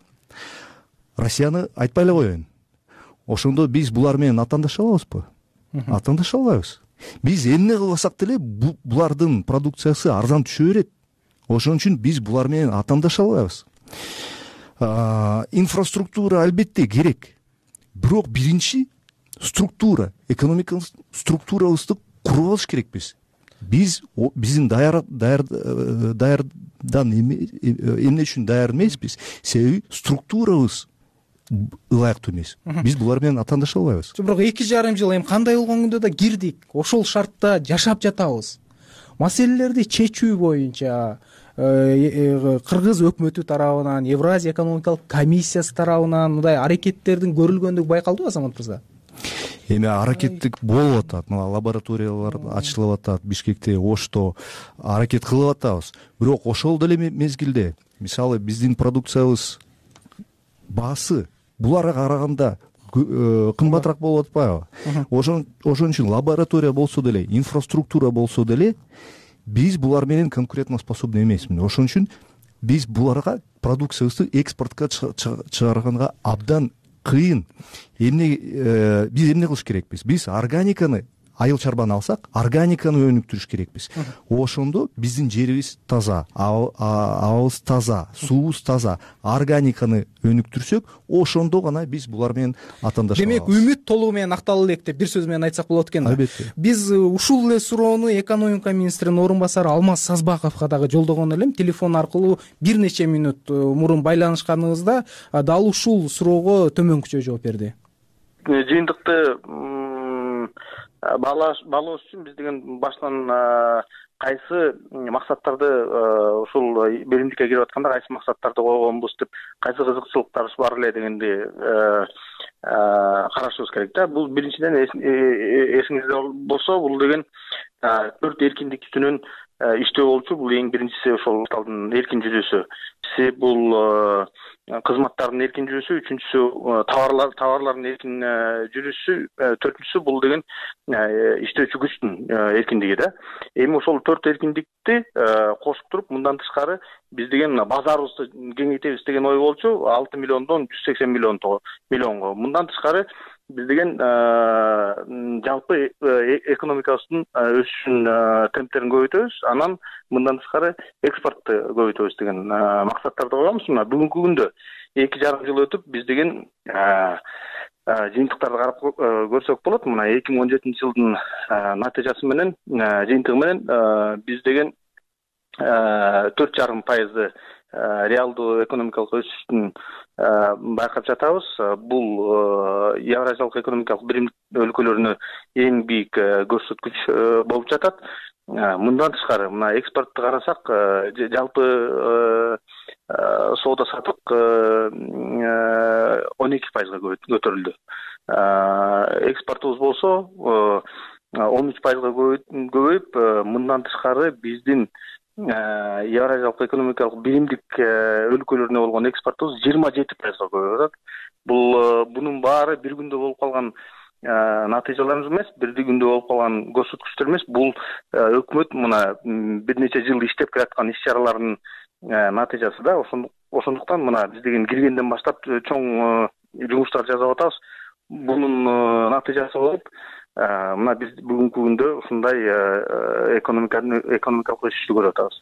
Speaker 2: Россияны айтпай эле коеюн. Ошондо биз булар менен атаандаша алабызбы? Атаандаша албайбыз. Биз эмне кылбасак деле булардын продукциясы арзан түшө берет. Ошон үчүн биз булар менен атаандаша албайбыз. Инфраструктура албетте керек. Бирок биринчи структура, экономикалык структурабызды куруп алыш керекпиз. Биздин даярдан эмне үчүн даяр эмеспиз? Себеби структурабыз ылайыктуу эмес. Биз булар менен атаандаша албайбыз.
Speaker 7: Бирок 2,5 жыл эми кандай болгон күндө да кирдик. Ошол шартта жашап жатабыз. Маселелерди чечүү боюнча Кыргыз өкмөтү тарабынан, Евразия экономикалык комиссиясы тарабынан мындай аракеттердин көрүлгөндүгү байкалдыбы, Азамат мырза?
Speaker 2: Эми аракеттик болуп атат. Мына лабораториялар ачылып атат, Бишкекте, Ошто аракет кылып атабыз. Бирок ошол деле мезгилде, мисалы биздин продукциябыз баасы буларга караганда кымбатыраак болуп атпайбы? Ошон үчүн лаборатория болсо деле, инфраструктура болсо деле биз булар менен конкурентно способный эмеспиз. Ошон үчүн биз буларга продукциябызды экспортко чыгарганга абдан кыйын. Биз эмне кылыш керекпиз? Биз органиканы, айыл чарбаны алсак, органиканы өнүктүрүш керекпиз. Ошондо биздин жерибиз таза, абабыз таза, суубуз таза, органиканы өнүктүрсөк, ошондо гана биз булар менен атаандаша алабыз.
Speaker 7: Демек, үмүт толугу менен акталуу элек деп бир сөз менен айтсак болот экен да.
Speaker 2: Албетте.
Speaker 7: Биз ушул эле суроону экономика министринин орун басары Алмаз Сазбаковго дагы жолдогон элем. Телефон аркылуу бир нече мүнөт мурун байланышканыбызда дал ушул суроого төмөнкүчө жооп берди.
Speaker 10: Жыйынтыкты баалоош үчүн биз деген баштан кайсы максаттарды ушул биримдикке кирип атканда кайсы максаттарды койгонбуз деп, кайсы кызыкчылыктарыбыз бар эле дегенди карашыбыз керек да. Бул биринчиден эсиңизде болсо, бул деген 4 эркиндиктүүнүн иштөө болчу. Бул эң биринчиси ошол капиталдын эркин жүрүүсү. Бул кызматтардын эркин жүрүүсү, үчүнчүсү товарлардын эркин жүрүүсү, төртүнчүсү бул деген иштөөчү күчтүн эркиндиги да. Эми ошол 4 эркиндикти кошуп туруп, мындан тышкары биз деген базарыбызды кеңейтебиз деген ой болчу. 6 миллиондон 180 миллионго. Мындан тышкары биз деген жалпы экономикабыздын өсүшүн темптерин көбөйтөбүз, анан мындан тышкары экспортты көбөйтөбүз деген максаттарды коебуз. Мына бүгүнкү күндө 2,5 жыл өтүп, биз деген жыйынтыктарды карап көрсөк болот. Мына 2017 жылдын натыйжасы менен, жыйынтыгы менен биз деген 4,5%
Speaker 6: реалдуу экономикалык өсүштүн байкап жатабыз. Бул Евразиялык экономикалык биримдик өлкөлөрүнө эң бийик көрсөткүч болуп жатат. Мындан тышкары мына экспортду карасак, жалпы соода саттык 12%-га көтөрүлдү. Экспортубуз болсо 13%-га көбөйүп, мындан тышкары биздин Евразиялык экономикалык биримдик өлкөлөрүнө болгон экспортубуз 27%-га көбөйүп атат. Бунун баары бир күндө болуп калган натыйжаларыбыз эмес, бир күндө болуп калган көрсөткүчтөр эмес. Бул өкмөт мына бир нече жыл иштеп келаткан иш-чаралардын натыйжасы да. Ошондуктан мына биз деген киргенден баштап чоң жумуштар жасап атабыз. Бунун натыйжасы болуп, мына биз бүгүнкү күндө ушундай экономикалык өсүштү көрүп атабыз.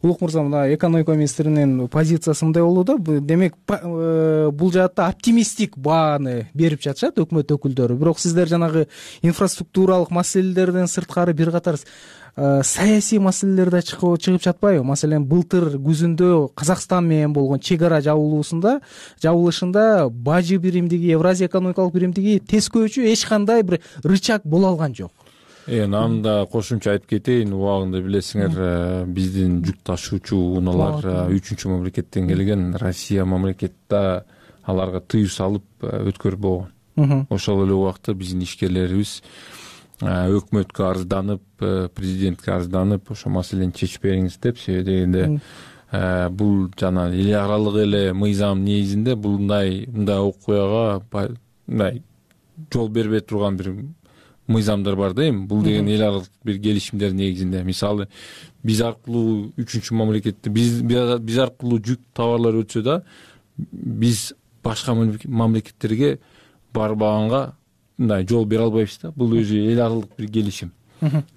Speaker 7: Улук мырза, мына экономика министринин позициясы мындай болду да. Демек, бул жаатта оптимисттик бааны берип жатышат өкмөт өкүлдөрү. Бирок сиздер жанагы инфраструктуралык маселелерден сырткары бир катар саясий маселелер да чыгып жатпайбы? Маселен, былтыр күзүндө Казакстан менен болгон чек ара жабылышында бажы биримдиги, Евразия экономикалык биримдиги тескөөчү эч кандай бир рычаг боло алган жок.
Speaker 22: Анда кошумча айтып кетейин, убагында билесиңер, биздин жүк ташуучу унаалар 3-чү мамлекеттен келген, Россия мамлекетте аларга тыюу салып өткөрүп болгон. Ошол эле убакта биздин ишкерлерибиз өкмөткө арызданып, президентке арызданып, ошо маселени чечип бериңиз деп, себеби дегенде бул жана эл аралык эле мыйзам негизинде мындай окуяга мындай жол бербей турган бир мыйзамдар бар да эми. Бул деген эл аралык бир келишимдер негизинде. Мисалы, биз аркылуу 3-чү мамлекетте биз аркылуу жүк товарлар өтсө да, биз башка мамлекеттерге барбаганга мындай жол бере албайбыз да. Бул өзү эл аралык бир келишим.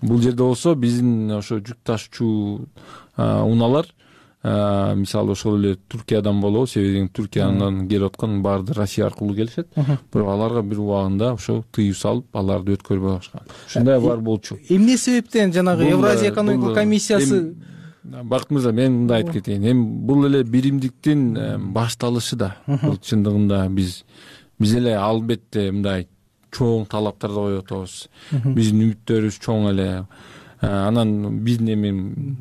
Speaker 22: Бул жерде болсо биздин ошо жүк ташуучу унаалар, мисалы ошол эле Туркиядан болобу, себеби Туркиядан келип аткан баарды Россия аркылуу келишет. Бирок аларга бир убагында ошо тыюу салып, аларды өткөрбөй башкан. Ушундай бар болчу.
Speaker 7: Эмне себептен жанагы Евразия экономикалык комиссиясы?
Speaker 22: Бакыт мырза, мен мындай айтып кетейин. Эми бул эле биримдиктин башталышы да. Бул чындыгында биз эле албетте мындай чоң талаптарды коюп атабыз. Биздин үмүттөрүбүз чоң эле. Анан биздин эми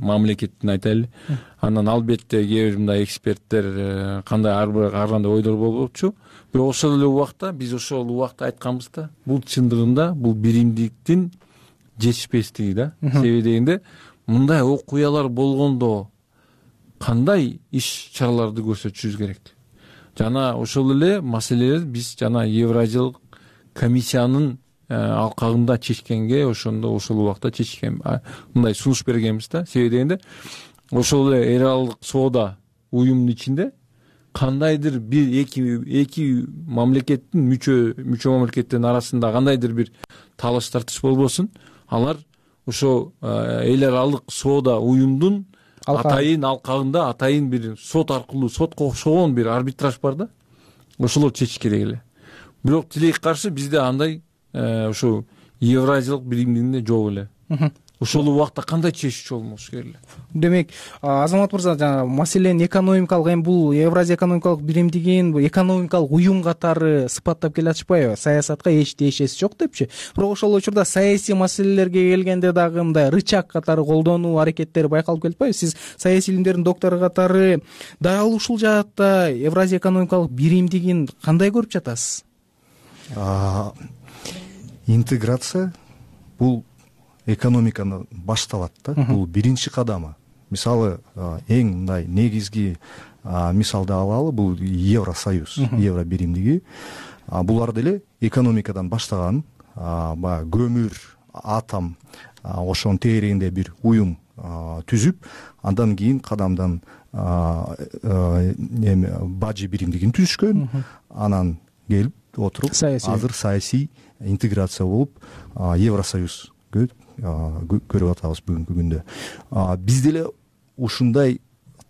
Speaker 22: мамлекеттин айтайлы. Анан албетте кээ бир мындай эксперттер кандай ар кандай ойлор болчу. Бирок ошол эле убакта биз ошол убакта айтканбыз да, бул чындыгында бул биримдиктин жетишпестиги да. Себеби дегенде мындай окуялар болгондо кандай иш-чараларды көрсөтүшүбүз керек. Жана ошол эле маселелер биз жана Евразиялык комиссиянын алкагында чечкенге, ошондо ошол убакта чечкен, мындай сунуш бергенбиз да. Себеби дегенде ошол эле эл аралык соода уюмунун ичинде кандайдыр бир эки мамлекеттин мүчө мамлекеттердин арасында кандайдыр бир талаш тартыш болбосун, алар ошо эл аралык соода уюмдун атайын алкагында атайын бир сот аркылуу, сотко окшогон бир арбитраж бар да. Ошолор чечиш керек эле. Бирок тилекке каршы бизде андай ошо Евразиялык биримдигинде жок эле. Ошол убакта кандай чечүүчү болмош керек эле.
Speaker 7: Демек, Азамат мырза, жана маселени экономикалык, эми бул Евразия экономикалык биримдигин экономикалык уюм катары сыпаттап келе атышпайбы? Саясатка эч тиешеси жок депчи. Бирок ошол учурда саясий маселелерге келгенде дагы мындай рычаг катары колдонуу аракеттери байкалып келатпайбы? Сиз саясий илимдердин доктору катары дал ушул жаатта Евразия экономикалык биримдигин кандай көрүп жатасыз?
Speaker 2: Интеграция бул экономиканы башталат да. Бул биринчи кадамы. Мисалы, эң мындай негизги мисалды алалы, бул Евросоюз, Евро биримдиги. Булар деле экономикадан баштаган, баягы көмүр, атом, ошонун тегерегинде бир уюм түзүп, андан кийин кадамдан бажы биримдигин түзүшкөн, анан келип отуруп азыр саясий интеграция болуп Евросоюз көрүп атабыз бүгүнкү күндө. Биз деле ушундай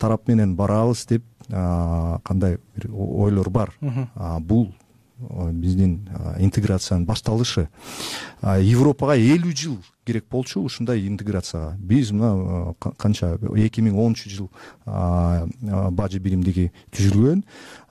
Speaker 2: тарап менен барабыз деп кандай бир ойлор бар. Бул биздин интеграциянын башталышы. Европага 50 жыл керек болчу ушундай интеграцияга. Биз мына канча 2010 бажы биримдиги түзүлгөн,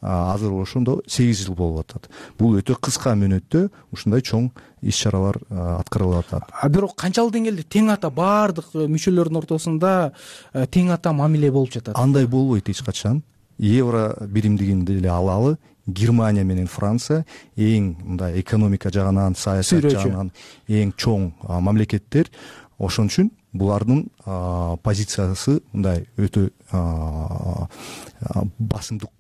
Speaker 2: азыр ошондо 8 жыл болуп атат. Бул өтө кыска мөөнөттө ушундай чоң иш-чаралар аткарылып атат.
Speaker 7: Бирок канчалык деңгээлде тең ата баардык мүчөлөрдүн ортосунда тең ата мамиле болуп жатат?
Speaker 2: Андай болбойт эч качан. Евро биримдигин деле алалы, Германия менен Франция эң мындай экономика жагынан, саясат жагынан эң чоң мамлекеттер. Ошон үчүн булардын позициясы мындай өтө басымдык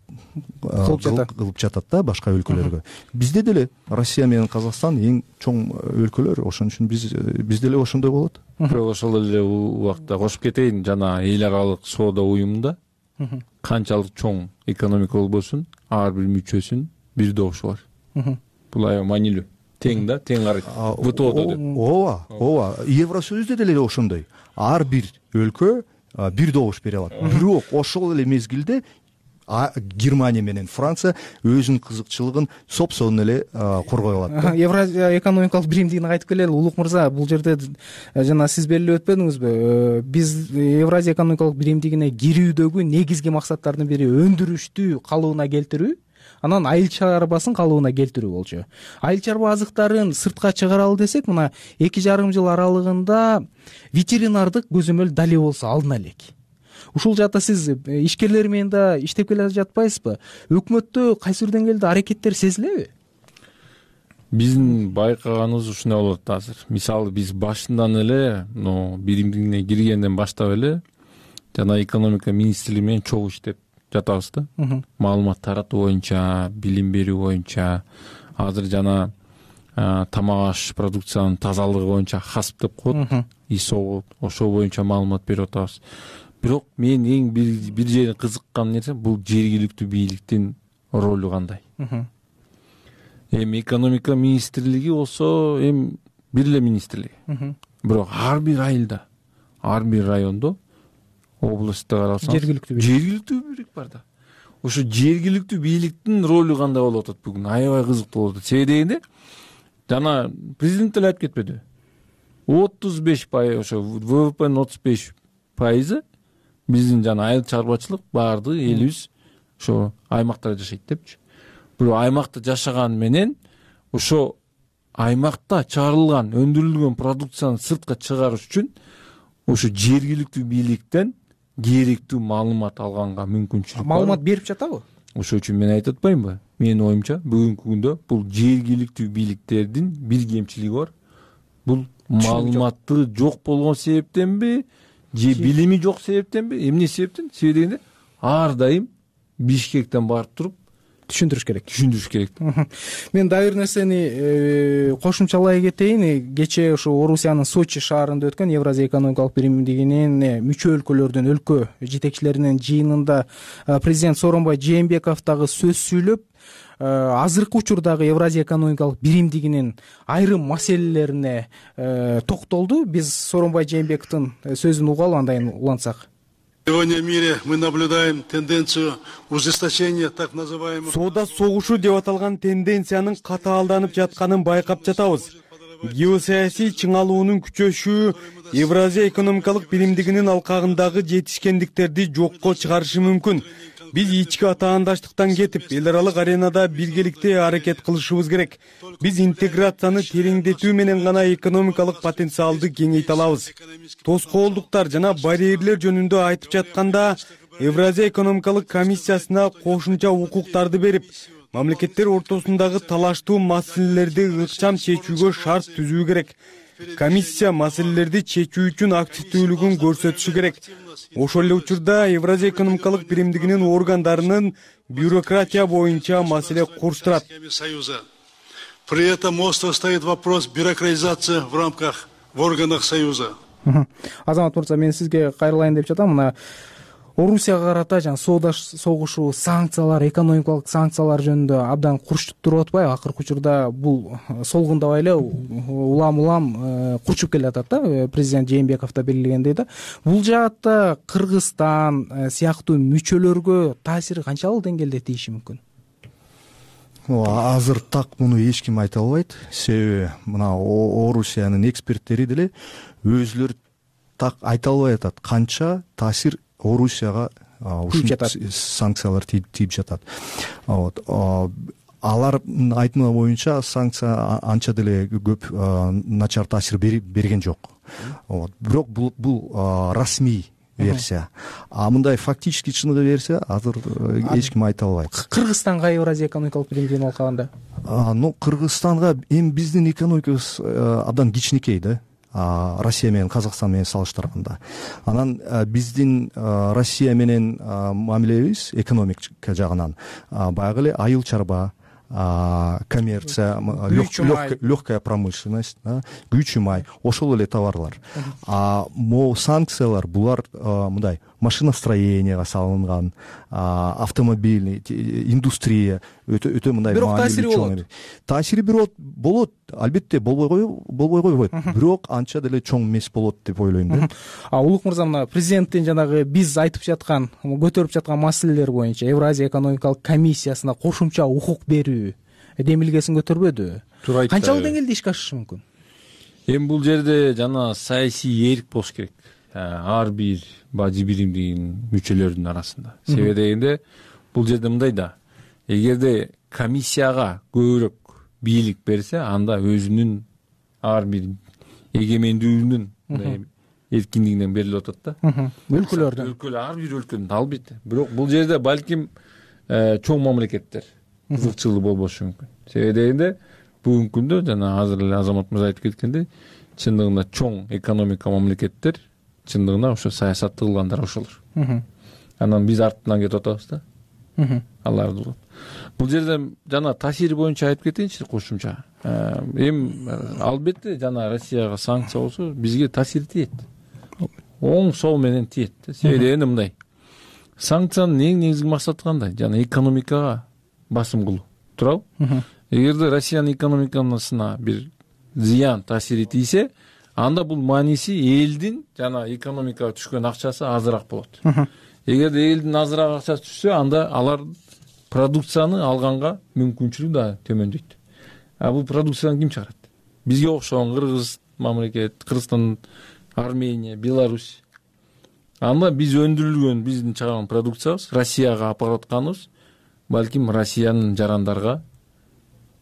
Speaker 2: кылып жатат да башка өлкөлөргө. Бизде деле Россия менен Казакстан эң чоң өлкөлөр, ошон үчүн биз деле ошондой болот.
Speaker 22: Бирок ошол эле убакта кошуп кетейин, жана эл аралык соода уюмунда канчалык чоң экономика болбосун, ар бир мүчөсүн бир добуш бар. Бул аябай маанилүү. Тең да, тең карайт. ВТОдо деп.
Speaker 2: Ооба. Евросоюзда деле ошондой. Ар бир өлкө бир добуш бере алат. Бирок ошол эле мезгилде Германия менен Франция өзүнүн кызыкчылыгын сопсон эле коргой алат.
Speaker 7: Евразия экономикалык биримдигине кайтып келели. Улук мырза, бул жерде жана сиз белгилеп өтпөдүңүзбү? Биз Евразия экономикалык биримдигине кирүүдөгү негизги максаттардын бири өндүрүштү калыбына келтирүү, анан айыл чарбасын калыбына келтирүү болчу. Айыл чарба азыктарын сыртка чыгаралы десек, мына 2,5 жыл аралыгында ветеринардык көзөмөл дале болсо алына элек. Ушул жакта сиз ишкерлер менен да иштеп келе жатпайсызбы? Өкмөттө кайсы бир деңгээлде аракеттер сезилеби?
Speaker 22: Биздин байкаганыбыз ушундай болот азыр. Мисалы биз башынан эле биримдигине киргенден баштап эле жана экономика министрлиги менен чогуу иштеп жатабыз да. Маалымат таратуу боюнча, билим берүү боюнча, азыр жана тамак аш продукциянын тазалыгы боюнча ХАСП деп коет, ИСО, ошол боюнча маалымат берип атабыз. Бирок мен эң бир жерин кызыккан нерсе бул жергиликтүү бийликтин ролу кандай. Эми экономика министрлиги болсо бир эле министрлик. Бирок ар бир айылда, ар бир райондо, областта карасаңыз жергиликтүү бийлик бар да. Ошо жергиликтүү бийликтин ролу кандай болуп атат бүгүн? Аябай кызыктуу болуп атат. Себеби дегенде жана президент деле айтып кетпеди. 35% ошо ВВПнын 35% биздин жана айыл чарбачылык баардыгы элибиз ошо аймактарда жашайт депчи. Бирок аймакта жашаган менен ошо аймакта чыгарылган, өндүрүлгөн продукцияны сыртка чыгарыш үчүн ошо жергиликтүү бийликтен керектүү маалымат алганга мүмкүнчүлүк бар.
Speaker 7: Маалымат берип жатабы?
Speaker 22: Ошол үчүн мен айтып атпаймынбы? Менин оюмча бүгүнкү күндө бул жергиликтүү бийликтердин бир кемчилиги бар. Бул маалыматы жок болгон себептенби, же билими жок себептенби, эмне себептен? Себеби дегенде ар дайым Бишкектен барып туруп
Speaker 7: түшүндүрүш керек. Мен дагы бир нерсени кошумчалай кетейин. Кечээ ошо Орусиянын Сочи шаарында өткөн Евразия экономикалык биримдигинин мүчө өлкөлөрдүн өлкө жетекчилеринин жыйынында президент Сооронбай Жээнбеков дагы сөз сүйлөп, азыркы учурдагы Евразия экономикалык биримдигинин айрым маселелерине токтолду. Биз Сооронбай Жээнбековдун сөзүн угалы, андайын улантсак.
Speaker 9: Сегодня в мире мы наблюдаем тенденцию ужесточения так называемых.
Speaker 12: Соода согушу деп аталган тенденциянын катаалданып жатканын байкап жатабыз. Геосаясий чыңалуунун күчөшүшү Евразия экономикалык биримдигинин алкагындагы жетишкендиктерди жокко чыгарышы мүмкүн. Биз ички атаандаштыктан кетип, эл аралык аренада биргеликте аракет кылышыбыз керек. Биз интеграцияны тереңдетүү менен гана экономикалык потенциалды кеңейте алабыз. Тоскоолдуктар жана барьерлер жөнүндө айтып жатканда, Евразия экономикалык комиссиясына кошумча укуктарды берип, мамлекеттер ортосундагы талаштуу маселелерди ыкчам чечүүгө шарт түзүү керек. Комиссия маселелерди чечүү үчүн активдүүлүгүн көрсөтүшү керек. Ошол эле учурда Евразия экономикалык биримдигинин органдарынын бюрократия боюнча маселе курчтурат.
Speaker 9: При этом остро стоит вопрос бюрократизации в органах Союза.
Speaker 7: Азамат мырза, мен сизге кайрылайын деп жатам. Мына Орусияга карата жана соода согушу, санкциялар, экономикалык санкциялар жөнүндө абдан курчтуп туруп атпайбы? Акыркы учурда бул солгундабай эле улам курчуп келе атат да, президент Жээнбеков да белгилегендей да. Бул жаатта Кыргызстан сыяктуу мүчөлөргө таасири канчалык деңгээлде тийиши мүмкүн?
Speaker 2: Азыр так муну эч ким айта албайт. Себеби мына Орусиянын эксперттери деле өзүлөрү так айта албай атат канча таасир Орусияга ушул санкциялар тийип жатат. Алардын айтымы боюнча санкция анча деле көп начар таасир берген жок. Бирок бул расмий версия. Мындай фактически чыныгы версия азыр эч ким айта албайт.
Speaker 7: Кыргызстанга Евразия экономикалык биримдигин алкаганда
Speaker 2: Кыргызстанга эми биздин экономикабыз абдан кичинекей да. Россия менен Казакстан менен салыштырганда. Анан биздин Россия менен мамилебиз экономика жагынан баягы эле айыл чарба, коммерция, легкая промышленность, күйчү май, ошол эле товарлар. Могу санкциялар булар мындай машиностроенияга салынган, автомобильный индустрия өтө мындай
Speaker 7: бирок таасири болот.
Speaker 2: Таасири болот, албетте болбой койбойт. Бирок анча деле чоң эмес болот деп ойлойм да.
Speaker 7: Улук мырза, мына президенттин жанагы биз айтып жаткан, көтөрүп жаткан маселелер боюнча Евразия экономикалык комиссиясына кошумча укук берүү демилгесин көтөрбөдү. Канчалык деңгээлде ишке ашышы мүмкүн?
Speaker 22: Эми бул жерде жана саясий эрк болуш керек. Ар бир бажы биримдигинин мүчөлөрүнүн арасында. Себеби дегенде бул жерде мындай да. Эгерде комиссияга көбүрөөк бийлик берсе, анда өзүнүн ар бир эгемендүүлүгүнүн эркиндигинен берилип атат да.
Speaker 7: Өлкөлөрдөн.
Speaker 22: Ар бир өлкөнүн албетте. Бирок бул жерде балким чоң мамлекеттер кызыкчылыгы болбошу мүмкүн. Себеби дегенде бүгүнкү күндө жана азыр эле Азамат мырза айтып кеткендей, чындыгында чоң экономика мамлекеттер чындыгында ошо саясатты кылгандар ошолор. Анан биз артынан кетип атабыз да. Аларды бул жерде жана таасири боюнча айтып кетейинчи кошумча. Эми албетте жана Россияга санкция болсо бизге таасири тиет. Оң сол менен тиет. Себеби дегенде мындай. Санкциянын эң негизги максаты кандай? Жана экономикага басым кылуу. Туурабы? Эгерде Россиянын экономикасына бир зыян таасири тийсе, анда бул мааниси элдин жана экономикага түшкөн акчасы азыраак болот. Эгерде элдин азыраак акчасы түшсө, анда алар продукцияны алганга мүмкүнчүлүгү да төмөндөйт. Бул продукцияны ким чыгарат? Бизге окшогон Кыргыз мамлекет, Кыргызстан, Армения, Беларусь. Анда биз өндүрүлгөн, биздин чыгарган продукциябыз Россияга алып баратканыбыз балким Россиянын жарандарга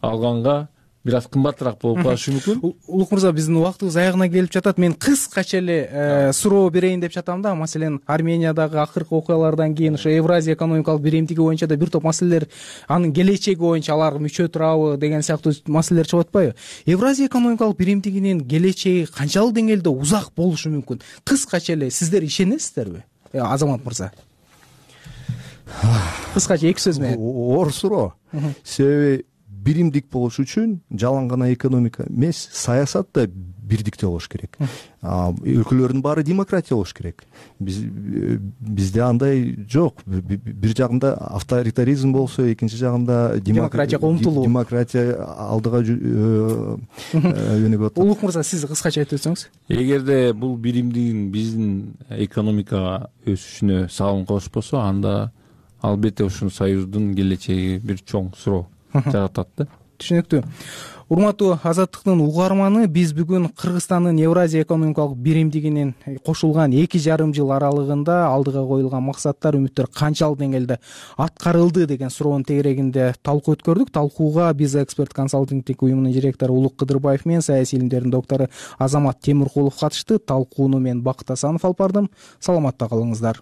Speaker 22: алганга бир аз кымбатыраак болуп калышы мүмкүн.
Speaker 7: Улук мырза, биздин убактыбыз аягына келип жатат. Мен кыскача эле суроо берейин деп жатам да. Маселен, Армениядагы акыркы окуялардан кийин ошо Евразия экономикалык биримдиги боюнча да бир топ маселелер, анын келечеги боюнча алар мүчө турабы деген сыяктуу маселелер чыгып атпайбы? Евразия экономикалык биримдигинин келечеги канчалык деңгээлде узак болушу мүмкүн? Кыскача эле сиздер ишенесиздерби? Азамат мырза. Кыскача эки сөз менен.
Speaker 2: Оор суроо. Себеби биримдик болуш үчүн жалаң гана экономика эмес, саясат да бирдикте болуш керек. Өлкөлөрдүн баары демократия болуш керек. Бизде андай жок. Бир жагында авторитаризм болсо, экинчи жагында
Speaker 7: демократияга умтулуу.
Speaker 2: Демократия алдыга жөнөгөт.
Speaker 7: Улук мырза, сиз кыскача айтып өтсөңүз.
Speaker 22: Эгерде бул биримдигин биздин экономикага өсүшүнө салым кошпосо, анда албетте ушул союздун келечеги бир чоң суроо жаратат да.
Speaker 7: Түшүнүктүү. Урматтуу Азаттыктын угарманы, биз бүгүн Кыргызстандын Евразия экономикалык биримдигинин кошулган 2,5 жыл аралыгында алдыга коюлган максаттар, үмүттөр канчалык деңгээлде аткарылды деген суроонун тегерегинде талкуу өткөрдүк. Талкууга биз эксперт консалтингдик уюмунун директору Улук Кыдырбаев менен саясий илимдердин доктору Азамат Темиркулов катышты. Талкууну мен Бакыт Асанов алып бардым. Саламатта калыңыздар.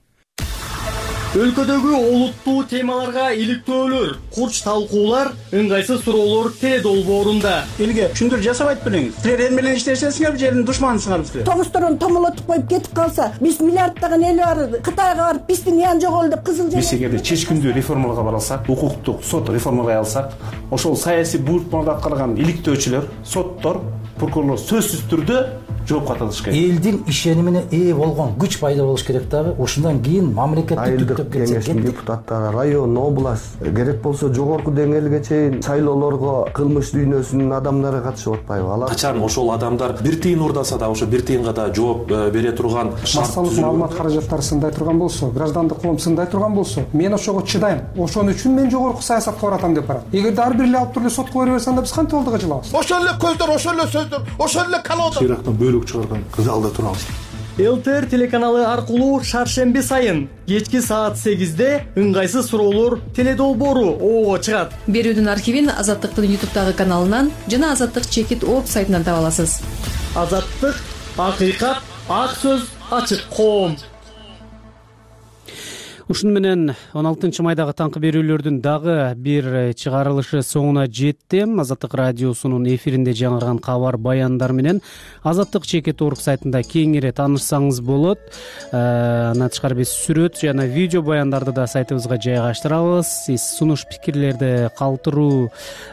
Speaker 14: Өлкөдөгү олуттуу темаларга иликтөөлөр, курч талкуулар, ыңгайсыз суроолор Т долбоорунда. Элге түшүндүрүү жасап айтып бериңиз. Силер эл менен иштешесиңерби, жердин душманысыңарбы силер?
Speaker 15: Тогустурун томолотуп коюп кетип калса, биз миллиарддаган эл бар, Кытайга барып биздин ян жоголду деп кызыл
Speaker 23: Биз эгерде чечкиндүү реформаларга бара алсак, укуктук сот реформалай алсак, ошол саясий буйртмаларды аткарган иликтөөчүлөр, соттор, прокурорлор сөзсүз түрдө жооп катышыш керек.
Speaker 3: Элдин ишенимине ээ болгон күч пайда болуш керек дагы. Ошондон кийин мамлекетти түптөп кетсе.
Speaker 4: Кеңештин депутаттары, район, область, керек болсо жогорку деңгээлге чейин шайлоолорго кылмыш дүйнөсүнүн адамдары катышып атпайбы? Алар
Speaker 23: Качан ошол адамдар бир тыйын урдаса да ошо бир тыйынга да жооп бере турган
Speaker 13: массалык маалымат каражаттары сындай турган болсо, граждандык коом сындай турган болсо, мен ошого чыдайм. Ошон үчүн мен жогорку саясатка баратам деп барат. Эгерде ар бир эле алып туруп эле сотко бере берсе, анда биз кантип алдыга жылабыз?
Speaker 24: Ошол эле көздөр, ошол эле сөздөр, ошол эле калоодор.
Speaker 23: Ирактан бөлүк чыгарган залда турабыз.
Speaker 25: ЛТР телеканалы аркылуу шаршемби сайын кечки саат 8-де ыңгайсыз суроолор теледолбоору ого чыгат.
Speaker 26: Берүүдүн архивин Азаттыктын YouTube'дагы каналынан жана Азаттык чекит об сайтынан таба аласыз.
Speaker 25: Азаттык, акыйкат, ак сөз, ачык коом.
Speaker 1: Ушуну менен 16 майдагы таңкы берүүлөрдүн дагы бир чыгарылышы соңуна жетти. Азаттык радиосунун эфиринде жаңырган кабар баяндар менен Азаттык чекит орг сайтында кеңири таанышсаңыз болот. Андан тышкары биз сүрөт жана видео баяндарды да сайтыбызга жайгаштырабыз. Сиз сунуш пикирлерди калтыруу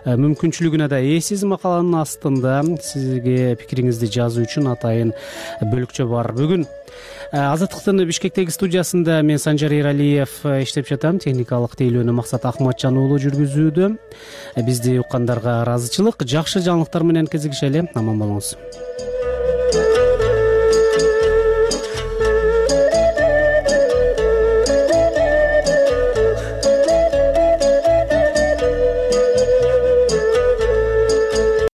Speaker 1: мүмкүнчүлүгүнө да ээсиз. Макаланын астында сизге пикириңизди жазуу үчүн атайын бөлүкчө бар. Бүгүн Азаттыктын Бишкектеги студиясында мен Санжар Эралиев иштеп жатам. Техникалык тейлөөнү Максат Акматжан уулу жүргүзүүдө. Бизди уккандарга ыраазычылык, жакшы жаңылыктар менен кезигишели. Аман болуңуз.